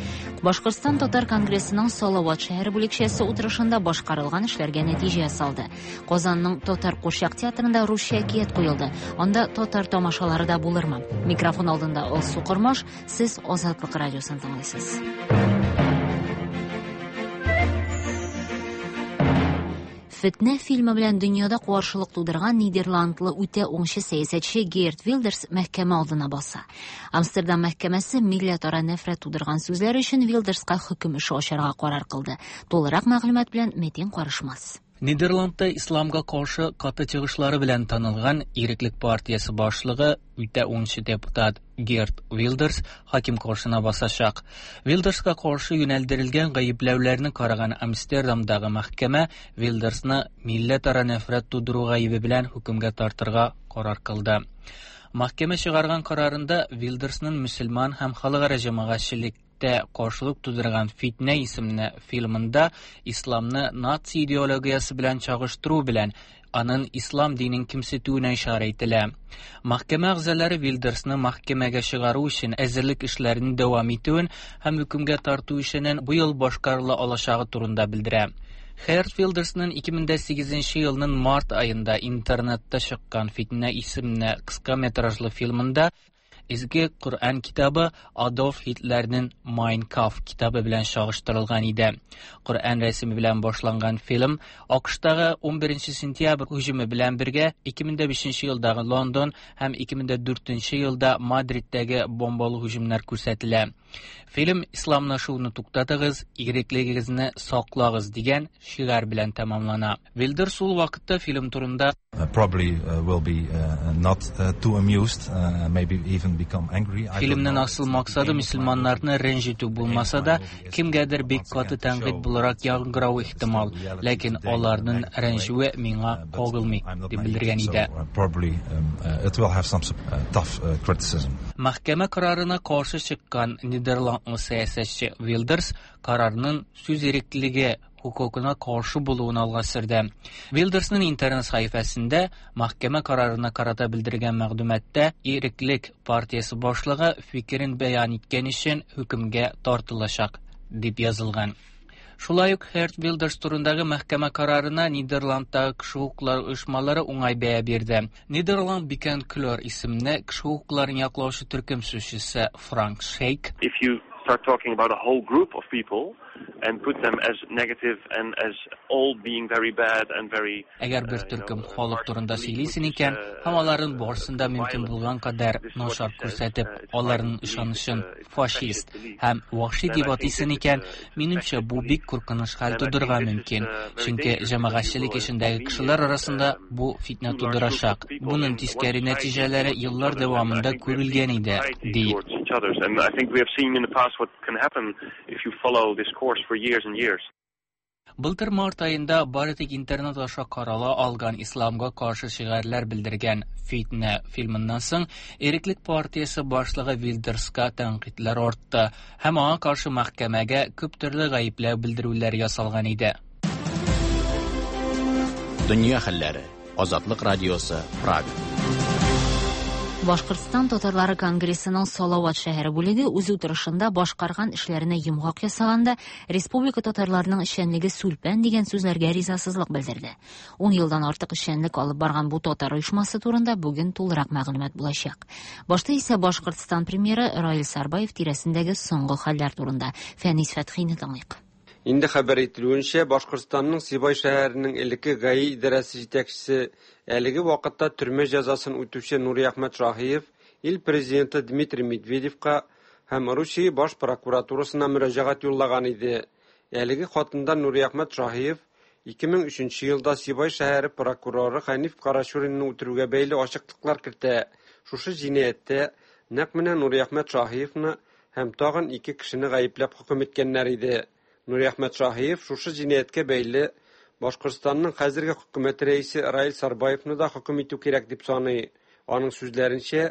Башкортстан татар конгрессының Салават шәһәре бүлекчәсе утырышында башкарылган эшләргә нәтиҗә ясалды. Казанның татар курчак театрында русча әкият куелды. Анда татар тамашалары да булырмы? Микрофон алдында Алсу Кормаш, сез Азатлык радиосын тыңлыйсыз. Фетнә фильмы белән дөньяда каршылык тудырган нидерландлы үтә уңчы сәясәтче Герт Вилдерс мәхкәмә алдына баса. Амстердам мәхкәмәсе милләтара нәфрәт тудырган сүзләр өчен Вилдерска хөкем эше ачарга карар кылды. Тулырак мәгълүмат белән Метин Карышмас. Нидерландта исламга каршы каты чыгышлары белән танылган Иреклек партиясе башлыгы үтә уңчы депутат Герт Вилдерс хаким каршына басачак. Вилдерска каршы юнәлдерелгән гаепләүләрне караган Амстердамдагы мәхкәмә Вилдерсны милләтара нәфрәт тудыру гаебе белән хөкемгә тартырга карар кылды. Мәхкәмә чыгарган карарында Вилдерсның мөселман һәм халыкара җәмәгатьчелек каршылык тудырган Фитнә исемле фильмында исламны наци идеологиясе белән чагыштыру белән аның ислам динен кимсетүенә ишарә ителә. Мәхкәмә әгъзалары Вилдерсны мәхкәмәгә чыгару өчен әзерлек эшләрен дәвам итүен һәм хөкемгә тарту эшенең бу ел башкарыла алачагы турында белдерә. Херт Вилдерсның 2008 елның март аенда интернетта чыккан Фитнә исемле кыска метражлы фильмында Изге Коръән китабы Адольф Һитлерның Mein Kampf китабы белән чагыштырылган иде. Коръән рәсеме белән башланган фильм АКШтагы 11 сентябрь һөҗүме белән бергә 2005 елдагы Лондон һәм 2004 елда Мадридтәге бомбалы һөҗүмнәр күрсәтелә. Фильм исламлашуны туктатыгыз, иреклегегезне саклагыз дигән шигарь белән тәмамлана. Вилдерс ул вакытта фильм турында Probably will be not too amused, maybe even become angry. I don't Фильмның know. асыл максаты мөселманнарны рәнҗетү булмаса да, кемгәдер бик каты тәнкыйть буларак яңгыравы ихтимал, ләкин аларның рәнҗүе миңа кагылмый, дип белдергән иде. So, probably it will have some tough criticism. Мәхкәмә карарына каршы чыккан нидерландлы сәясәтче Вилдерс карарның сүз иреклеге хокукына каршы булуын алга сөрде. Вилдерсның интернет сәхифәсендә мәхкәмә карарына карата белдергән мәгълүматта Иреклек партиясе башлыгы фикерен бәян иткән өчен хөкемгә тартылачак дип язылган. Шулай ук Херт Вилдерс турындагы мәхкәмә карарына Нидерландтагы кеше хокуклары оешмалары уңай бәя бирде. Нидерланд Bekend Kleur исемле кеше хокукларын яклаучы төркем сүзчесе Франк Шейк If you start talking about a whole group of people and put them as negative and as all being very bad and very Әгәр бер төркем халык турында сөйлисең икән, һәм аларның барысын да мөмкин булган кадәр начар күрсәтеп, аларның ышанычын фашист һәм вәхши дип атыйсың икән, минемчә, бу бик куркыныч хәл тудырырга мөмкин. Чөнки җәмәгатьчелек эчендәге кешеләр арасында бу фитнә тудырачак. Буның тискәре нәтиҗәләре еллар дәвамында күрелгән иде, ди. towards each others. And I think we have seen in the past what can happen if you follow this course for years and years. Былтыр март аенда бары тик интернет аша карала алган исламга каршы шигарьләр белдергән Фитнә фильмыннан соң Иреклек партиясе башлыгы Вилдерска тәнкыйтьләр артты һәм аңа каршы мәхкәмәгә күп төрле гаепләү белдерүләр ясалган иде. Дөнья хәлләре. Азатлык радиосы, Прага. Башкортстан татарлары конгрессының Салават шәһәре бүлеге үз утырышында башкарган эшләренә йомгак ясаганда республика татарларының эшчәнлеге сүлпән дигән сүзләргә ризасызлык белдерде. 10 елдан артык эшчәнлек алып барган бу татар оешмасы турында бүген тулырак мәгълүмат булачак. Башта исә Башкортстан премьеры Раил Сарбаев тирәсендәге соңгы хәлләр турында Фәнис Фәтхине тыңлыйк. Инде хәбәр ителүенчә, Башкортстанның Сибай шәһәренең элекке ГАИ идарәсе җитәкчесе, әлеге вакытта төрмә җәзасын үтүче Нуриәхмәт Шаһиев ил президенты Дмитрий Медведевка һәм Русия баш прокуратурасына мөрәҗәгать юллаган иде. Әлеге хатында Нуриәхмәт Шаһиев 2003 елда Сибай шәһәре прокуроры Хәниф Карачуринны үтерүгә бәйле ачыклыклар кертә. Шушы җинаятьтә нәкъ менә Нуриәхмәт Шаһиевны һәм тагын ике кешене гаепләп хөкем иткәннәр иде. Нуриәхмәт Шаһиев шушы җинаятькә бәйле Башкортстанның хәзерге хөкүмәте рәисе Раил Сарбаевны да хөкем итү кирәк дип саный. Аның сүзләренчә,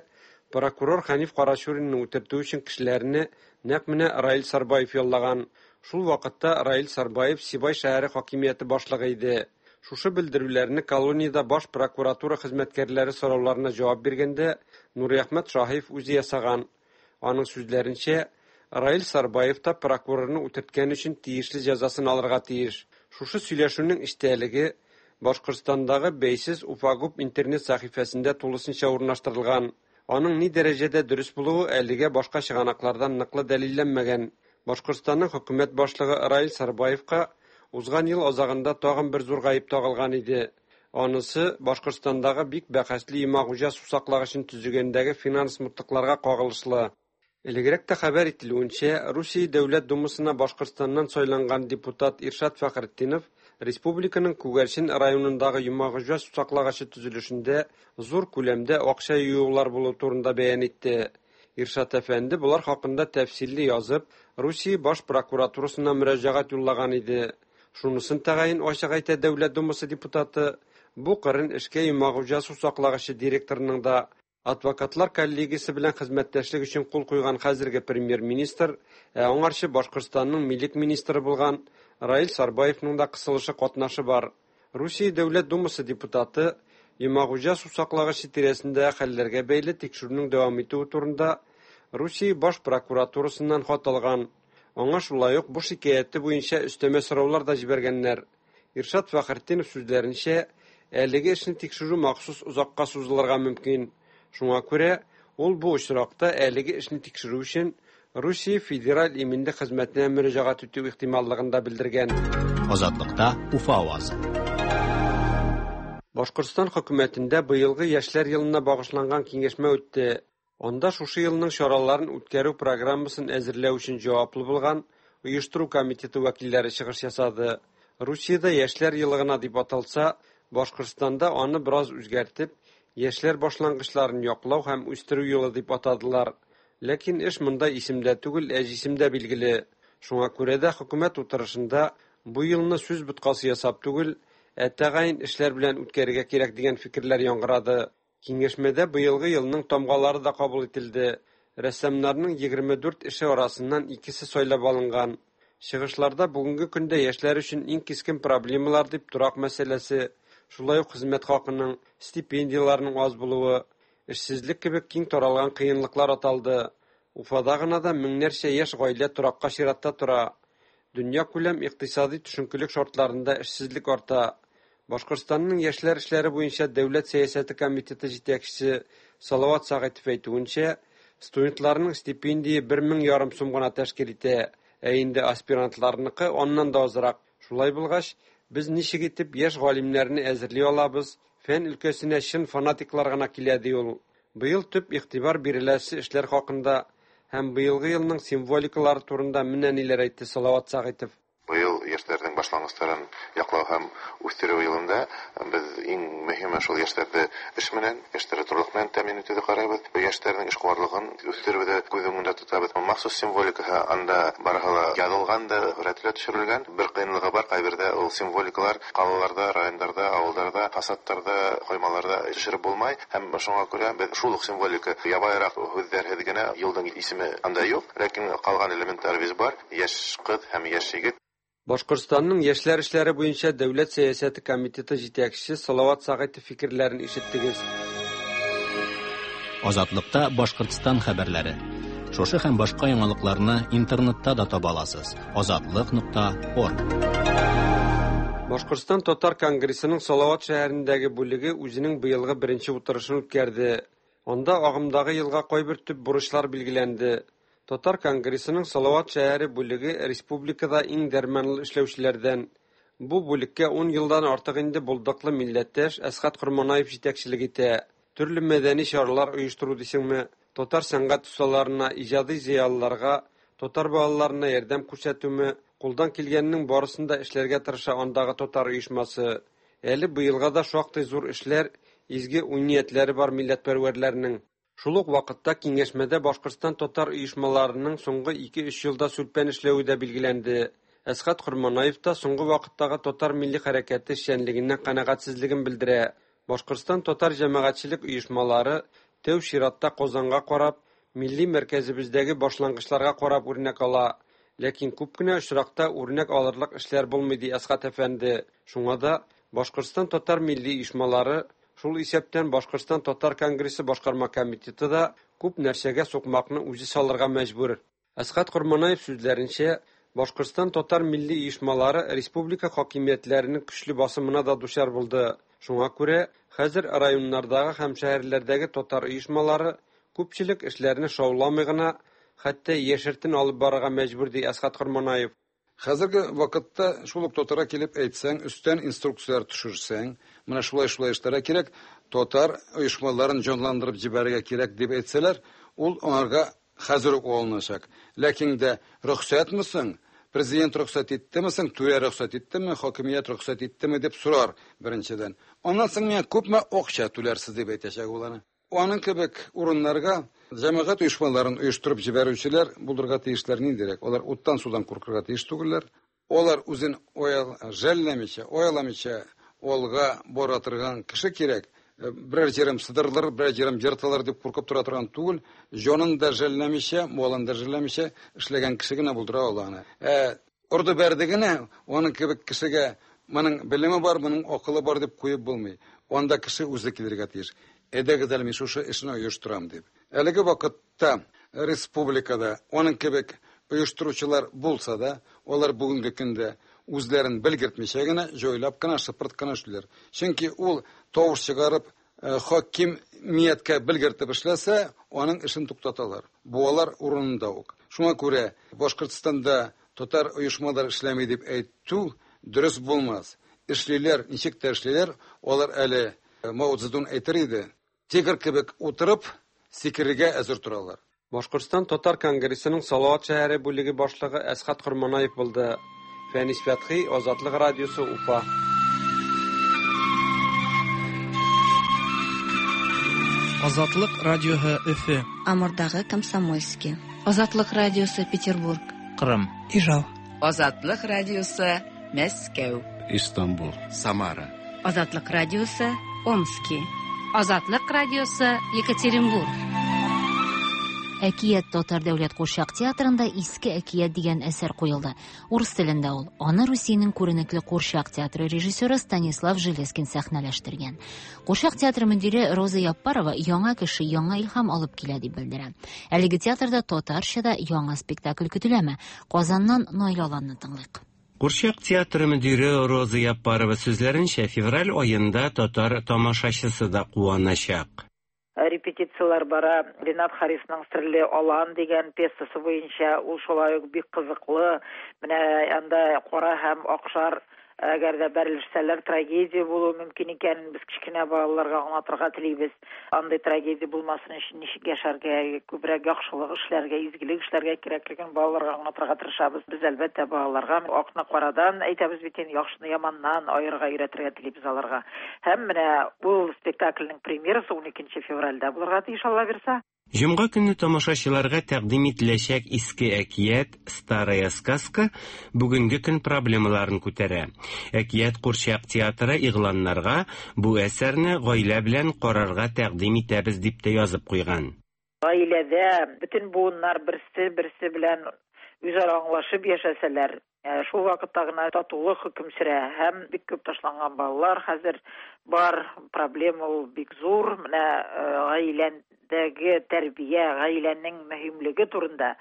прокурор Хәниф Карачуринны үтертү өчен кешеләрне нәкъ менә Раил Сарбаев яллаган. Шул вакытта Раил Сарбаев Сибай шәһәре хакимияте башлыгы иде. Шушы белдерүләрне колониядә баш прокуратура хезмәткәрләре сорауларына җавап биргәндә Нуриәхмәт Шаһиев үзе ясаган. Аның сүзләренчә, Раил Сарбаев та прокурорны үтерткән өчен тиешле җәзасын алырга тиеш. Шушы сөйләшүнең эчтәлеге Башкортстандагы бәйсез Уфагуб интернет сәхифәсендә тулысынча урнаштырылган. Аның ни дәрәҗәдә дөрес булуы әлегә башка чыганаклардан ныклы дәлилләнмәгән. Башкортстанның хөкүмәт башлыгы Раил Сарбаевка Узган ел азагында тагын бер зур гаеп тагылган иде. Анысы Башкортстандагы бик бәхәсле Йомагуҗа сусаклагычын төзегәндәге финанс мутлыкларга кагылышлы. Элегрәк тә хәбәр ителүенчә, Русия Дәүләт Думасына Башкортстаннан сайланган депутат Иршат Фәхретдинов республиканың Күгәрчен районындагы Йомагуҗа сусаклагычы төзелешендә зур күләмдә акча ююлар булу турында бәян итте. Иршат әфәнде болар хакында тәфсилле язып, Русия баш прокуратурасына мөрәҗәгать юллаган иде. Шунысын тәгаен ачык әйтә Дәүләт Думасы депутаты, бу кырын эшкә Йомагуҗа сусаклагычы директорының да адвокатлар коллегиясе белән хезмәттәшлек өчен кул куйган хәзерге премьер-министр, ә аңарчы Башкортстанның милек министры булган Раил Сарбаевның да кысылышы катнашы бар. Русия Дәүләт Думасы депутаты Йомагуҗа сусаклагычы тирәсендә хәлләргә бәйле тикшерүнең дәвам итүе турында Русия баш прокуратурасыннан хат алган. Аңа шулай ук бу шикаяте буенча өстәмә сораулар да җибәргәннәр. Иршат Фәхретдинов сүзләренчә, әлеге эшне тикшерү махсус озакка сузылырга мөмкин. Шуңа күрә ул бу очракта әлеге эшне тикшерү өчен Русия Федераль иминлек хезмәтенә мөрәҗәгать итү ихтималлыгын да белдергән. Азатлыкта Уфа авазы. Башкортстан хөкүмәтендә быелгы яшьләр елына багышланган киңәшмә үтте. Анда шушы елның чараларын үткәрү программасын әзерләү өчен җаваплы булган оештыру комитеты вәкилләре чыгыш ясады. Русиядә яшьләр елы гына дип аталса, Башкортстанда аны бераз үзгәртеп, яшьләр башлангычларын яклау һәм үстерү елы дип атадылар. Ләкин эш монда исемдә түгел, ә җисемдә билгеле. Шуңа күрә дә хөкүмәт утырышында бу елны сүз боткасы ясап түгел, ә тәгаен эшләр белән үткәрергә кирәк дигән фикерләр яңгырады. Киңәшмәдә быелгы елның тамгалары да кабул ителде. Рәссамнарның 24 эше арасыннан икесе сайлап алынган. Чыгышларда бүгенге көндә яшьләр өчен иң кискен проблемалар дип торак мәсьәләсе, шулай ук хезмәт хакының, стипендияләрнең аз булуы, эшсезлек кебек киң таралган кыенлыклар аталды. Уфада гына да меңнәрчә яшь гаилә торакка чиратта тора. Дөньякүләм икътисади төшенкелек шартларында эшсезлек арта. Башкортстанның яшьләр эшләре буенча дәүләт сәясәте комитеты җитәкчесе Салават Сәгыйтов әйтүенчә, студентларның стипендия 1500 сум гына тәшкил итә, ә инде аспирантларныкы аннан да азрак. Шулай булгач, без ничек итеп яшь галимнәрне әзерли алабыз, фән өлкәсенә чын фанатиклар гына килә, ди ул. Быел төп игътибар биреләсе эшләр хакында һәм быелгы елның символикалары турында менә ниләр әйтте Салават Сәгыйтов. Быел яшьләрнең башлангычларын яклау һәм үстерү елында без иң мөһиме шул яшьләрне эш белән, яшьләрне торлык белән тәэмин итүдә карыйбыз. Яшьләрнең эшкуарлыгын үстерүдә күз уңында тотабыз. Махсус символикасы анда барыһы ла язылган да, сурәтләр төшерелгән. Бер кыенлыгы бар, кайбердә ул символикалар калаларда, районнарда, авылларда, фасадтарда, коймаларда төшереп булмай. Һәм шуңа күрә без шул ук символика ябайрак һүзләрһез генә елның исеме анда юк, ләкин калган элементларыбыз бар. Яшь кыз һәм яшь егет. Башкортстанның яшьләр эшләре буенча дәүләт сәясәте комитеты җитәкчесе Салават Сәгыйтов фикерләрен ишеттегез. Азатлыкта Башкортстан хәбәрләре. Шушы һәм башка яңалыкларны интернетта да таба аласыз. Азатлык.орг. Башкортстан татар конгрессының Салават шәһәрендәге бүлеге үзенең быелгы беренче утырышын үткәрде. Анда агымдагы елга кайбер төп бурычлар билгеләнде. Татар конгрессының Салават шәһәре бүлеге республикада иң дәрманлы эшләүчеләрдән. Бу бүлеккә 10 елдан артык инде булдыклы милләттәш Әсхәт Корманаев җитәкчелек итә. Төрле мәдәни чаралар оештыру дисеңме, татар сәнгать осталарына, иҗади зыялыларга, татар балаларына ярдәм күрсәтүме, кулдан килгәннең барысын да эшләргә тырыша андагы татар оешмасы. Әле быелга да шактый зур эшләр, изге уй-ниятләре бар милләтпәрвәрләрнең. Шул ук вакытта киңәшмәдә Башкортстан татар оешмаларының соңгы 2-3 елда сүлпән эшләве дә билгеләнде. Әсхәт Корманаев та соңгы вакыттагы татар милли хәрәкәте эшчәнлегеннән канәгатьсезлеген белдерә. Башкортстан татар җәмәгатьчелек оешмалары тәү чиратта Казанга карап, милли мәркәзебездәге башлангычларга карап үрнәк ала. Ләкин күп кенә очракта үрнәк алырлык эшләр булмый, ди Әсхәт әфәнде. Шуңа да Башкортстан татар милли оешмалары, шул исәптән Башкортстан татар конгрессы башкарма комитеты да күп нәрсәгә сукмакны үзе салырга мәҗбүр. Әсхәт Корманаев сүзләренчә, Башкортстан татар милли оешмалары республика хакимиятләренең көчле басымына да дучар булды. Шуңа күрә хәзер районнардагы һәм шәһәрләрдәге татар оешмалары күпчелек эшләрне шауламый гына, хәтта яшертен алып барырга мәҗбүр, ди Әсхәт Корманаев. Хәзерге вакытта шул ук татарга килеп әйтсәң, өстән инструкцияләр төшерсәң, менә шулай-шулай эшләргә кирәк, татар оешмаларын җанландырып җибәрергә кирәк дип әйтсәләр, ул аңарга хәзер үк алыначак. Ләкин дә рөхсәтме соң, президент рөхсәт иттеме соң, түрә рөхсәт иттеме, хакимият рөхсәт иттеме дип сорар беренчедән. Аннан соң миңа күпме акча түләрсез дип әйтәчәк ул аны. Аның кебек урыннарга җәмәгать оешмаларын оештырып җибәрүчеләр булырга тиешләр ниндирәк? Алар уттан-судан куркырга тиеш түгелләр. Алар үзен жәлләмичә, аяламыйча алга бара торган кеше кирәк. Берәр җирем сыдырылыр, берәр җирем ертылыр дип куркып тора торган түгел. Җанын да жәлләмичә, малын да жәлләмичә эшләгән кеше генә булдыра ала аны. Ә орды бәрде генә, аның кебек кешегә моның белеме бар, моның акылы бар дип куеп булмый. Анда кеше үзе килергә тиеш. Әйдәгез әле мин шушы эшне оештырам дип. Әлеге вакытта республикада аның кебек оештыручылар булса да, алар бүгенге көндә үзләрен белгертмичә генә, җайлап кына, шыпырт кына эшлиләр. Чөнки ул тавыш чыгарып, хакимияткә белгертеп эшләсә, аның эшен туктаталар. Буалар урынында ук. Шуңа күрә Башкортстанда татар оешмалары эшләми дип әйтү дөрес булмас. Эшлиләр, ничек тә эшлиләр, алар әле Мао Цзэдун әйтер иде, тигр кебек утырып, сикерергә әзер торалар. Башкортстан татар конгрессының Салават шәһәре бүлеге башлыгы Әсхәт Корманаев булды. Фәнис Фәтхи, Азатлык радиосы, Уфа. Азатлык радиоһы Өфе. Амурдагы Комсомольский. Азатлык радиосы Петербург. Кырым. Ижау. Азатлык радиосы Мәскәү. Истанбул. Самара. Азатлык радиосы Омски. Азатлык радиосы Екатеринбург. Әкият татар дәүләт курчак театрында Иске әкият дигән әсәр куелды. Урыс телендә ул. Аны Русиянең күренекле курчак театры режиссеры Станислав Железкин сәхнәләштергән. Курчак театры мөдире Роза Яппарова яңа кеше яңа илһам алып килә дип белдерә. Әлеге театрда татарча да яңа спектакль көтеләме? Казаннан Наил Аланны тыңлыйк. Курчак театры мөдире Роза Яппарова сүзләренчә, февраль аенда татар тамашачысы да куаначак. Репетицияләр бара. Ренат Харисның Серле алан дигән пьесасы буенча, ул шулай ук бик кызыклы. Менә анда кара һәм акшар әгәр дә бәрелешсәләр, трагедия булуы мөмкин икәнен без кечкенә балаларга аңлатырга телибез. Андый трагедия булмасын өчен ничек яшәргә, күбрәк яхшылык эшләргә, изгелек эшләргә кирәклеген балаларга аңлатырга тырышабыз. Без, әлбәттә, балаларга акны карадан әйтәбез бит инде, яхшыны яманнан аерырга өйрәтергә телибез аларга. Һәм менә ул спектакльнең премьерасы 12 февральдә булырга тиеш, Алла бирса. Җомга көнне тамашачыларга тәкъдим ителәчәк Иске әкият, Старая сказка, бүгенге көн проблемаларын күтәрә. Әкият курчак театры игъланнарга бу әсәрне гаилә белән карарга тәкъдим итәбез дип тә язып куйган. Гаиләдә бөтен буыннар берсе-берсе белән үзара аңлашып яшәсәләр, шул вакытта гына татулык хөкем сөрә һәм бик күп ташланган балалар хәзер бар, проблема ул бик зур. Менә гаиләдәге тәрбия, гаиләнең мөһимлеге турында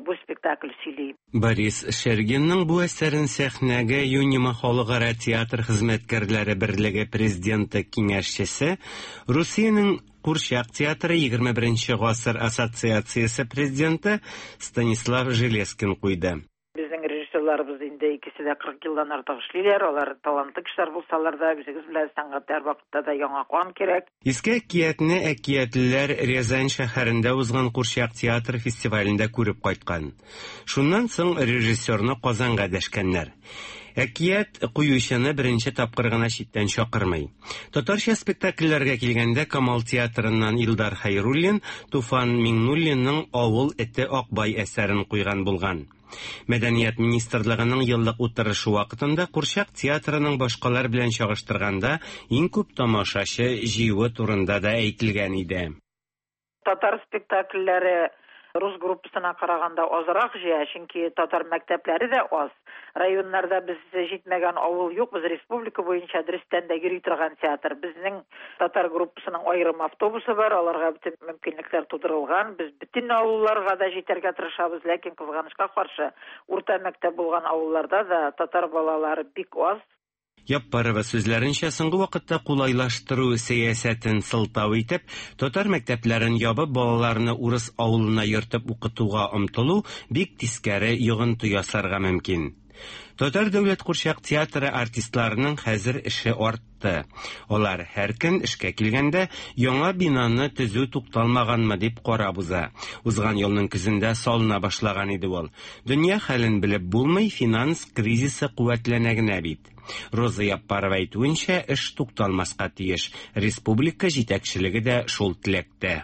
бу спектакль сөйли. Борис Шергинның бу әсәрен сәхнәгә Юнима халыкара театр хезмәткәрләре берлеге президенты киңәшчесе, Русиянең Курчак театры 21 гасыр ассоциациясе президенты Станислав Железкин куйды. Безнең режиссерларыбыз инде икесе дә 40 елдан артык эшлиләр. Алар талантлы кешеләр булсалар да, үзегез белән сәнгатьтә һәрвакытта да яңа кан кирәк. Иске әкиятне әкиятлеләр Рязань шәһәрендә узган курчак театр фестивалендә күреп кайткан. Шуннан соң режиссерны Казанга дәшкәннәр. Әкият куючыны беренче тапкыр гына читтән чакырмый. Татарча спектакльләргә килгәндә Камал театрыннан Илдар Хәйруллин Туфан Миңнуллинның Авыл эте Акбай әсәрен куйган булган. Мәдәният министрлыгының еллык утырышы вакытында Курчак театрының башкалар белән чагыштырганда иң күп тамашачы җыюы турында да әйтелгән иде. Татар спектакльләре рус группасына караганда азрак җыя, чөнки татар мәктәпләре дә аз. Районнарда без җитмәгән авыл юк, без республика буенча дөрестән дә йөри торган театр. Безнең татар группасының аерым автобусы бар, аларга бөтен мөмкинлекләр тудырылган. Без бөтен авылларга да җитәргә тырышабыз, ләкин кызганычка каршы, урта мәктәп булган авылларда да татар балалары бик аз. Яппарова сүзләренчә, соңгы вакытта кулайлаштыру сәясәтен сылтау итеп, татар мәктәпләрен ябып, балаларны урыс авылына йөртеп укытуга омтылу бик тискәре йогынты ясарга мөмкин. Татар дәүләт курчак театры артистларының хәзер эше артты. Алар һәр көн эшкә килгәндә яңа бинаны төзү тукталмаганмы дип карап уза. Узган елның көзендә салына башлаган иде ул. Дөнья хәлен белеп булмый, финанс кризисы куәтләнә генә бит. Роза Яппарова әйтүенчә, эш тукталмаска тиеш. Республика җитәкчелеге дә шул теләктә.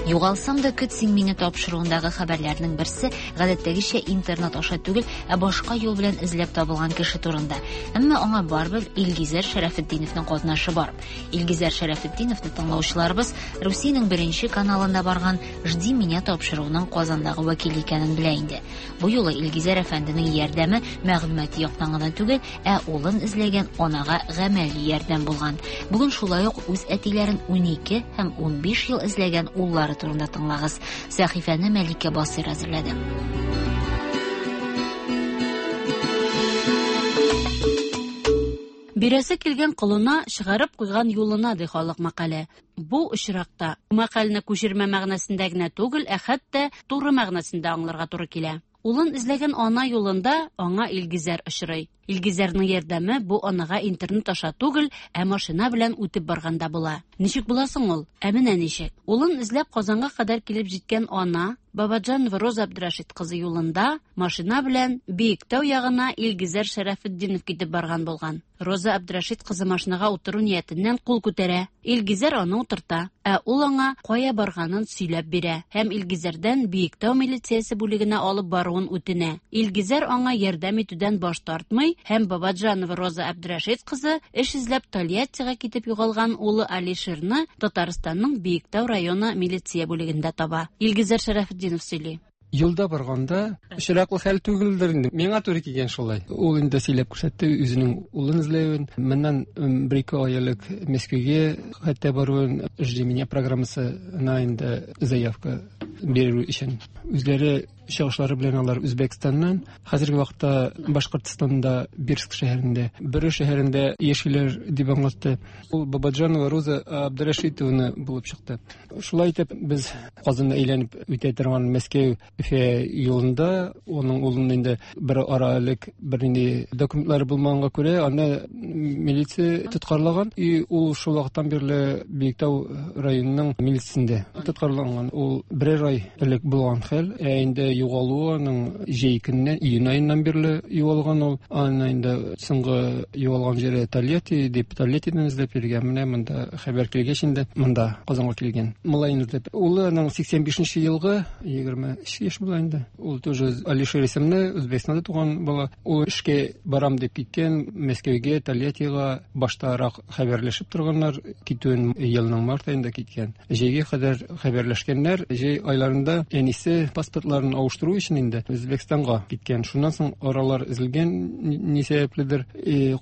Югалсам да көт син мине тапшыруындагы хәбәрләрнең берсе гадәттәгечә интернет аша түгел, ә башка юл белән эзләп табылган кеше турында. Әмма аңа барыбер Илгизәр Шәрәфетдиновның катнашы бар. Илгизәр Шәрәфетдиновны тыңлаучыларыбыз Русиянең беренче каналында барган Жди меня тапшыруының Казандагы вәкиле икәнен белә инде. Бу юлы Илгизәр әфәнденең ярдәме мәгълүмати яктан гына түгел, ә улын эзләгән анага гамәли ярдәм булган. Бүген шулай ук үз әтиләрен 12 һәм 15 ел эзләгән уллары турында тыңлагыз. Сәхифәне Мәликә Басыйр әзерләде. Бирәсе килгән колына, чыгарып куйган юлына, ди халык мәкале. Бу очракта мәкальне күчермә мәгънәсендә генә түгел, ә хәтта туры мәгънәсендә аңларга туры килә. Улын эзләгән ана юлында аңа Илгизәр очрый. Илгизәрнең ярдәме бу анага интернет аша түгел, ә машина белән үтеп барганда була. Ничек була соң ул? Ә менә ничек. Улын эзләп Казанга кадәр килеп җиткән ана Бабаджанова Роза Абдрашит кызы юлында машина белән Биектау ягына Илгизәр Шәрәфетдинов китеп барган булган. Роза Абдрашит кызы машинага утыру ниятеннән кул күтәрә. Илгизәр аны утырта, ә ул аңа кая барганын сөйләп бирә һәм Илгизәрдән Биектау милициясе бүлегенә алып баруын үтенә. Илгизәр аңа ярдәм итүдән баш тартмый һәм Бабаджанова Роза Абдрашит кызы эш эзләп Тольяттига китеп югалган улы Алишерны Татарстанның Биектау районы милиция бүлегендә таба. Илгизәр Шәрәфетдинов сөйли. Юлда барганда очраклы хәл түгелдер инде. Миңа туры килгән шулай. Ул инде сөйләп күрсәтте үзенең улын эзләвен. Моннан бер-ике ай элек Мәскәүгә хәтта баруын, Жди меня программасына инде заявка бирү өчен. Үзләре чыгышлары белән алар Үзбәкстаннан. Хәзерге вакытта Башкортстанда Бирск шәһәрендә, Бөре шәһәрендә яшиләр дип аңлатты. Ул Бабаджанова Роза Абдрашитовна булып чыкты. Шулай итеп без Казанны әйләнеп үтә торган Мәскәү Өфә юлында оның улын инде бер ара элек бернинди документлары булмаганга күрә аны милиция тоткарлаган. И ул шул вакыттан бирле Биектау районының милициясендә тоткарланган. Ул берәр ай элек булган хәл. Ә инде югалуы аның җәй көненнән, июнь аеннан бирле югалган ул. Аны инде соңгы югалган җире Тольятти дип, Тольяттидан эзләп йөргән. Менә монда хәбәр килгәч инде монда Казанга килгән. Малаен эзләп. Улы аның 85 елгы 23 яшь була инде. Ул тоже Алишер исемле, Үзбәкстанда туган бала. Ул эшкә барам дип киткән, Мәскәүгә, Тольяттига баштарак хәбәрләшеп торганнар. Китүен елның март аенда киткән. Җәйгә кадәр хәбәрләшкәннәр. Җәй айларында әнисе паспортларын авыштыру өчен инде Үзбәкстанга киткән. Шуннан соң аралар өзелгән, ни сәбәпледер.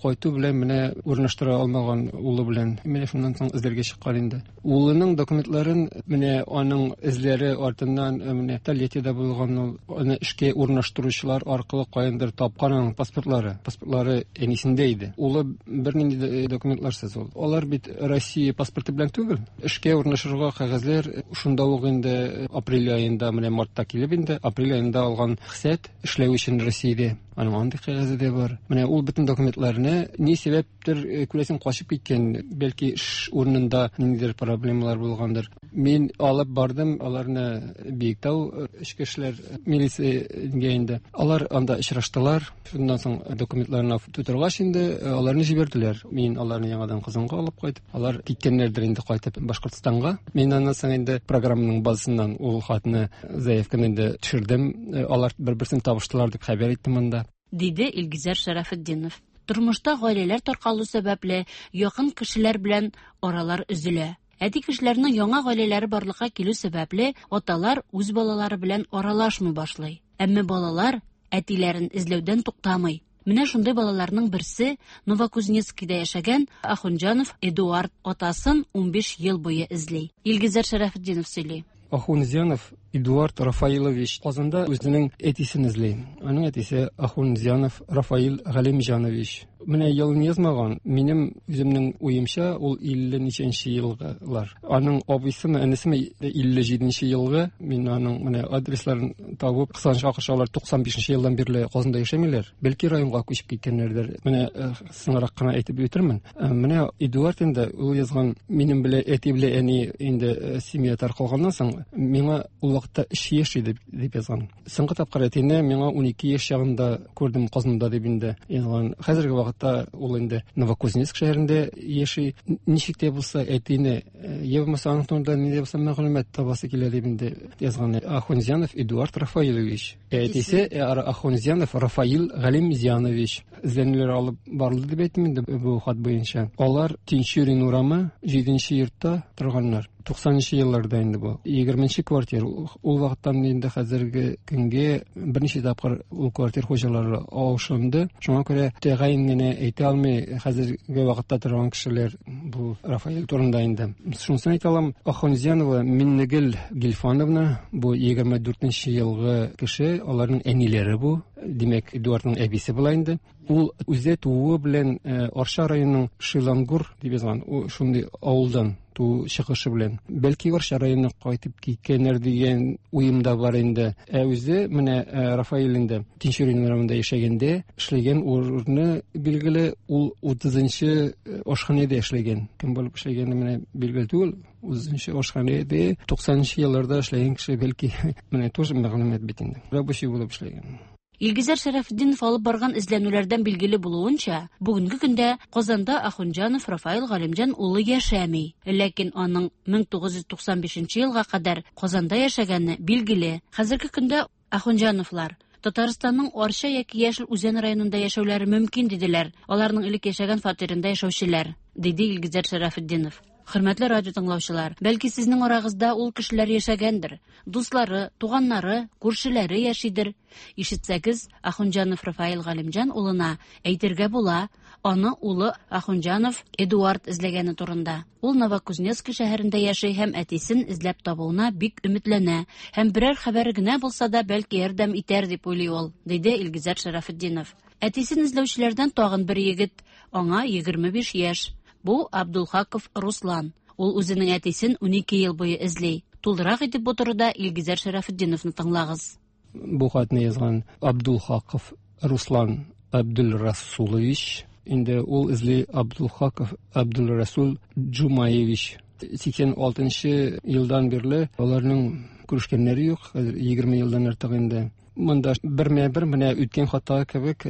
Кайту белән менә урнаштыра алмаган улы белән. Менә шуннан соң эзләргә чыккан инде. Улының документларын менә аның эзләре артыннан менә Тольяттида булган ул, аны эшкә урнаштыручылар аркылы каяндыр тапкан аның паспортлары. Паспортлары әнисендә иде. Улы бернинди дә документларсыз ул. Алар бит Россия паспорты белән түгел. Эшкә урнашырга кәгазьләр шунда ук инде апрель аенда, менә мартта килеп инде апрель аенда алган рөхсәт эшләү өчен Россиядә. Аның андый кәгазе дә бар. Менә ул бөтен документларны ни сәбәптер, күрәсең, качып киткән. Бәлки эш урынында ниндидер проблемалар булгандыр. Мин алып бардым аларны Биектау эчке эшләр милициягә инде. Алар анда очраштылар. Шуннан соң документларны тутыргач инде аларны җибәрделәр. Мин аларны яңадан Казанга алып кайтып, алар киткәннәрдер инде кайтып Башкортстанга. Мин аннан соң инде программаның базасыннан ул хатны, заявканы инде төшердем. Алар бер-берсен табыштылар дип хәбәр иттем анда. Диде Илгизәр Шәрәфетдинов. Тормышта гаиләләр таркалу сәбәпле, якын кешеләр белән аралар өзелә. Әти кешеләрнең яңа гаиләләре барлыкка килү сәбәпле, аталар үз балалары белән аралашмый башлый. Әмма балалар әтиләрен эзләүдән туктамый. Менә шундый балаларның берсе Новокузнецкийда яшәгән Ахунҗанов Эдуард атасын 15 ел буе эзли. Илгизәр Шәрәфетдинов сөйли. Ахунзянов Эдуард Рафаилович Казанда үзенең әтисен эзли. Аның әтисе Ахунзянов Рафаил Галимҗанович. Менә елын язмаган, минем үземнең уемча, ул 50 ничәнче елгылар. Аның абыйсымы, энесеме 57 елгы. Мин аның менә адресларын табып, кызганычка каршы, алар 95 елдан бирле Казанда яшәмиләр. Бәлки районга күчеп киткәннәрдер. Менә соңрак кына әйтеп үтермен. Менә Эдуард инде ул язган, минем белән әти белән әни инде семья таркалганнан соң, миңа ул вакытта 3 яшь иде дип язган. Соңгы тапкыр әтине миңа 12 яшь чагында күрдем Казанда дип инде язган. Хәзерге вакытта ул инде Новокузнецк шәһәрендә яши. Ничек тә булса әтине, я булмаса аның турында нинди булса мәгълүмат табасы килә дип инде язган. Ахунзянов Эдуард Рафаилович. Әтисе Ахунзянов Рафаил Галимзянович. Эзләнүләр алып барылды дип әйтим инде бу хат буенча. Алар Тинчурин урамы 7 йортта торганнар. 90 елларда инде бу. 20 квартир. Ул вакыттан инде хәзерге көнгә берничә тапкыр ул квартир хуҗалары алышынды. Шуңа күрә тәгаен генә әйтә алмый хәзерге вакытта торган кешеләр бу Рафаэль турында инде. Шунысын әйтә алам, Ахунзянова Миннегөл Гильфановна, бу 24 елгы кеше, аларның әниләре бу. Димәк, Эдуардның әбисе була инде. Ул үзе тууы белән Арча районының Шилангур дип язган, ул шундый авылдан туу чыгышы белән. Бәлки Арча районына кайтып киткәннәр дигән уем да бар инде. Ә үзе менә Рафаэль инде Тинчурин урамында яшәгәндә эшләгән урыны билгеле, ул 30-нчы ашханәдә эшләгән. Кем булып эшләгәне менә билгеле түгел. 30-нчы ашханәдә 90-нчы елларда эшләгән кеше бәлки менә тоже мәгълүмат бит инде. Рабочий булып эшләгән. Илгизәр Шәрәфетдинов алып барган эзләнүләрдән билгеле булуынча, бүгенге көндә Казанда Ахунҗанов Рафаил Галимҗан улы яшәми. Ләкин аның 1995 елга кадәр Казанда яшәгәне билгеле. Хәзерге көндә Ахунҗановлар Татарстанның Арча яки Яшел Үзән районында яшәүләре мөмкин диделәр. Аларның элек яшәгән фатирында яшәүчеләр, диде Илгизәр Шәрәфетдинов. Хөрмәтле радио тыңлаучылар, бәлки сезнең арагызда ул кешеләр яшәгәндер. Дуслары, туганнары, күршеләре яшидер. Ишетсәгез, Ахунҗанов Рафаил Галимҗан улына әйтергә була, аны улы Ахунҗанов Эдуард эзләгәне турында. Ул Новокузнецк шәһәрендә яши һәм әтисен эзләп табуына бик өметләнә һәм берәр хәбәре генә булса да бәлки ярдәм итәр дип уйлый ул, диде Илгизәр Шәрәфетдинов. Әтисен эзләүчеләрдән тагын бер егет, аңа 25 яшь. Бу Абдулхаков Руслан. Ул үзенең әтисен 12 ел буе эзли. Тулырак итеп бу турыда Илгизәр Шәрәфетдиновны тыңлагыз. Бу хатны язган Абдулхаков Руслан Абдулрасулович. Инде ул эзли Абдулхаков Абдулрасул Джумаевич. 86 елдан бирле аларның күрешкәннәре юк. Хәзер 20 елдан артык инде. Монда бермә-бер менә үткән хаттагы кебек,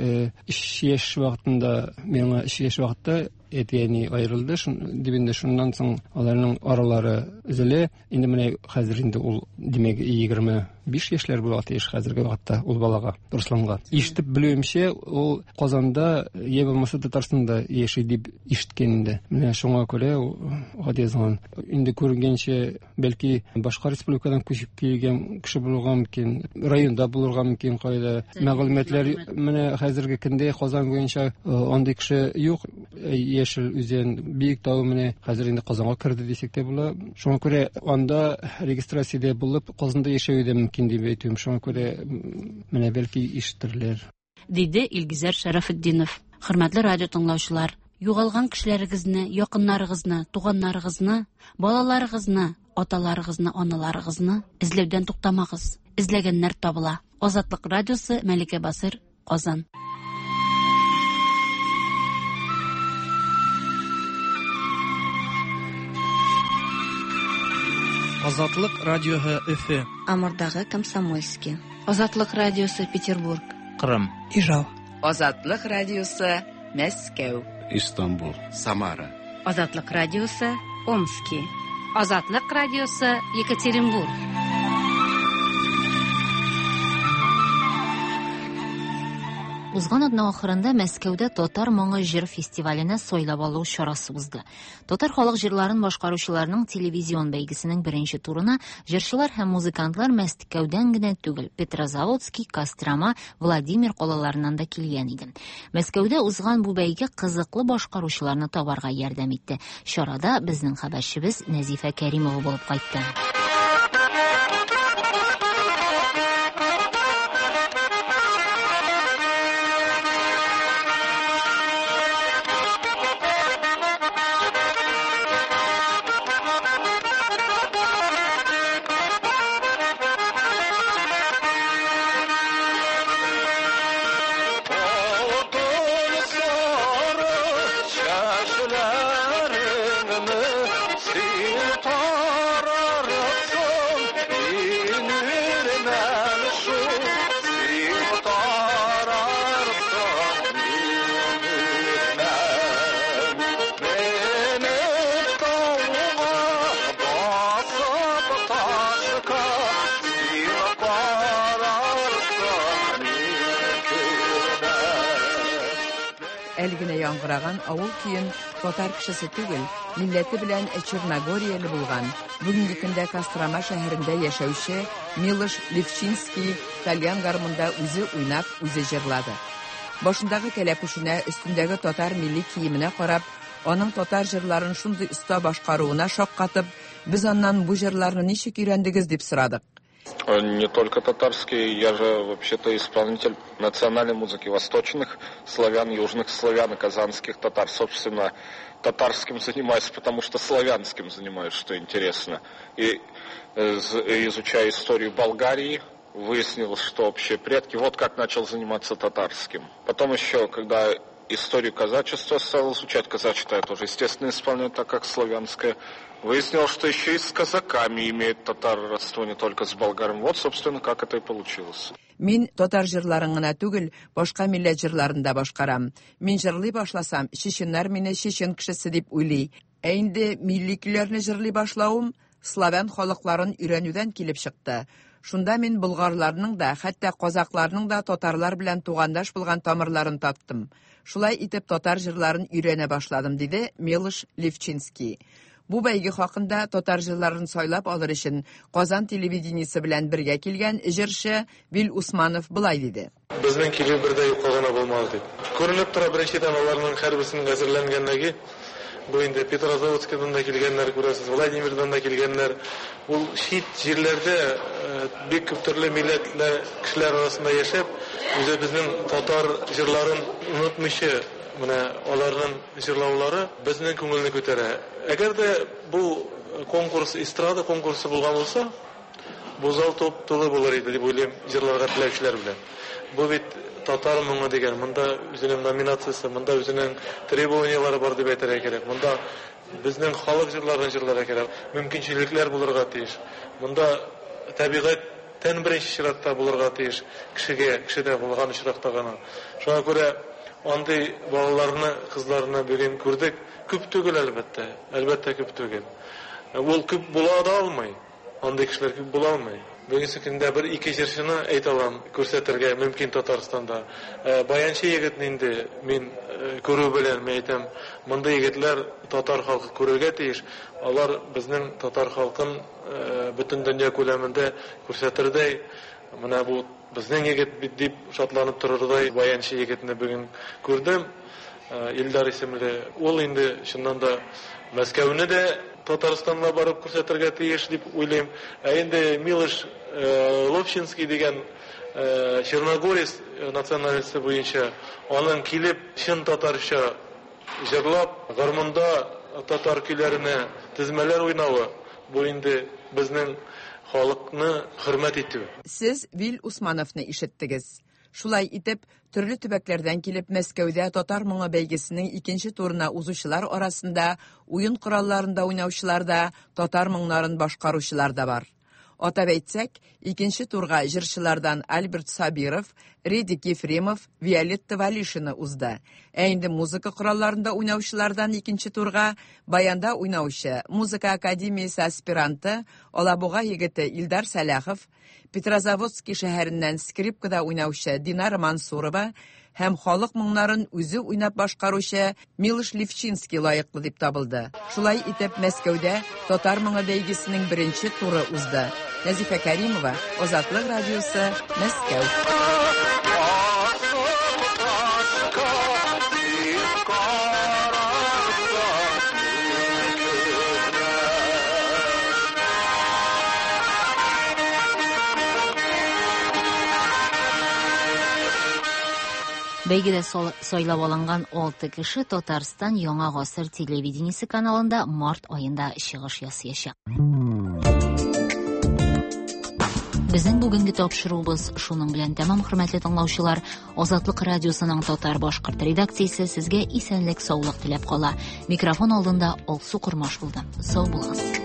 3 яшь вакытында, миңа 3 яшь вакытта әти-әни аерылды, дип инде шуннан соң аларның аралары өзелә. Инде менә хәзер инде ул, димәк, 25 яшьләр була тиеш хәзерге вакытта ул балага, Русланга. Ишетеп белүемчә, ул Казанда, я булмаса Татарстанда яши дип ишеткән инде. Менә шуңа күрә ул хат язган. Инде күренгәнчә, бәлки башка республикадан күчеп килгән кеше булырга мөмкин, районда булырга мөмкин кайда. Мәгълүматлар менә хәзерге көндә Казан буенча андый кеше юк. Яшел Үзән, Биектау менә хәзер инде Казанга керде дисәк тә була. Шуңа күрә анда регистрациядә булып, Казанда яшәве дә мөмкин дип әйтүем. Шуңа күрә менә бәлки ишетерләр. Диде Илгизәр Шәрәфетдинов. Хөрмәтле радио тыңлаучылар, югалган кешеләрегезне, якыннарыгызны, туганнарыгызны, балаларыгызны, аталарыгызны, аналарыгызны эзләүдән туктамагыз. Эзләгәннәр табыла. Азатлык радиосы, Мәликә Басыр, Казан. Азатлык радиоһы Өфе. Амурдагы Комсомольский. Азатлык радиосы Петербург. Кырым. Ижау. Азатлык радиосы Мәскәү. Истанбул. Самара. Азатлык радиосы Омски. Азатлык радиосы Екатеринбург. Узган атна ахырында Мәскәүдә Татар моңы җыр фестиваленә сайлап алу чарасы узды. Татар халык җырларын башкаручыларның телевизион бәйгесенең беренче турына җырчылар һәм музыкантлар Мәскәүдән генә түгел, Петрозаводский, Кострома, Владимир калаларыннан да килгән иде. Мәскәүдә узган бу бәйге кызыклы башкаручыларны табарга ярдәм итте. Чарада безнең хәбәрчебез Нәзифә Кәримова булып кайтты. Әле генә яңгыраган авыл көен татар кешесе түгел, милләте белән черногорияле булган, бүгенге көндә Кострома шәһәрендә яшәүче Милош Левчинский тальян гармунда үзе уйнап, үзе җырлады. Башындагы кәләпүшенә, өстендәге татар милли киеменә карап, аның татар җырларын шундый оста башкаруына шаккатып, без аннан бу җырларны ничек өйрәндегез дип сорадык. Не только татарские, я же вообще-то исполнитель национальной музыки восточных славян, южных славян и казанских татар. Собственно, татарским занимаюсь, потому что славянским занимаюсь, что интересно. И изучая историю Болгарии, выяснилось, что общие предки. Вот как начал заниматься татарским. Потом еще, когда историю казачества стал изучать, казачество я тоже, естественно, исполняю так, как славянское. Выяснилось, что еще и с казаками имеет татар родство, не только с болгарами. Вот, собственно, как это и получилось. Мин татар җырларын гына түгел, башка милләт җырларын да башкарам. Мин җырлый башласам, чеченнар мине чечен кешесе дип уйлый. Ә инде милли көйләрне җырлый башлавым славян халыкларын өйрәнүдән килеп чыкты. Шунда мин болгарларның да, хәтта казакларның да татарлар белән тугандаш булган тамырларын таптым. Шулай итеп татар җырларын өйрәнә башладым, диде Милош Левчинский. Бу бәйге хакында татар җырларын сайлап алыр өчен Казан телевидениесе белән бергә килгән җырчы Вил Усманов болай диде. Безнең килү бер дә юкка гына булмады дип. Күренеп тора, беренчедән, аларның һәрберсенең әзерләнгәнлеге. Бу инде Петрозаводскидан да килгәннәр, күрәсез, Владимирдан да килгәннәр. Ул чит җирләрдә бик күп төрле милләтле кешеләр арасында яшәп, үзебезнең татар җырларын онытмыйча, менә аларның җырлаулары безнең күңелне күтәрә. Әгәр дә бу конкурс эстрада конкурсы булган булса, бу зал туп-тулы булыр иде дип уйлыйм, җырларга теләүчеләр белән. Бу бит татар моңы дигән, монда үзенең номинациясе, монда үзенең требованияләре бар дип әйтергә кирәк. Монда безнең халык җырларын җырларга кирәк, мөмкинчелекләр булырга тиеш. Монда табигатьтән беренче чиратта булырга тиеш, кешегә, кешедә булган очракта гына. Шуңа күрә андый балаларны, кызларны бүген күрдек. Күп түгел, әлбәттә, әлбәттә күп түгел. Ул күп була да алмый. Андый кешеләр күп була алмый. Бүгенге көндә бер ике җырчыны әйтә алам, күрсәтергә мөмкин Татарстанда. Баянчы егетне инде мин күрү белән мин әйтәм, мондый егетләр татар халкы күрергә тиеш. Алар безнең татар халкын бөтен дөнья күләмендә күрсәтердәй, менә бу безнең егет бит дип шатланып торырдай баянчы егетне бүген күрдем. Илдар исемле. Ул инде чыннан да Мәскәүне дә Татарстанга барып күрсәтергә тиеш дип уйлыйм. Ә инде Милош Ловчинский дигән черногорец национальности буенча аның килеп чын татарча җырлап, гармунда татар көйләренә тезмәләр уйнавы, бу инде безнең халыкны хөрмәт итү. Сез Вил Усмановны ишеттегез. Шулай итеп, төрле төбәкләрдән килеп Мәскәүдә татар моңы бәйгесенең икенче турына узучылар арасында уен коралларында уйнаучылар да, татар моңнарын башкаручылар да бар. Атап әйтсәк, икенче турга җырчылардан Альберт Сабиров, Редик Ефремов, Виолетта Валишина узды. Ә инде музыка коралларында уйнаучылардан икенче турга баянда уйнаучы, музыка академиясе аспиранты, Алабуга егете Илдар Сәлахов, Петрозаводский шәһәреннән скрипкада уйнаучы Динара Мансурова һәм халык моңнарын үзе уйнап башкаручы Милош Левчинский лаеклы дип табылды. Шулай итеп, Мәскәүдә татар моңы бәйгесенең беренче туры узды. Нәзифә Кәримова, Азатлык радиосы, Мәскәү. Бәйгедә сайлап алынган 6 кеше Татарстан Яңа гасыр телевидениесе каналында март аенда чыгыш ясаячак. Безнең бүгенге тапшыруыбыз шуның белән тәмам, хөрмәтле тыңлаучылар. Азатлык радиосының татар башкорт редакциясе сезгә исәнлек, саулык теләп кала. Микрофон алдында Алсу Кормаш булды. Сау булыгыз.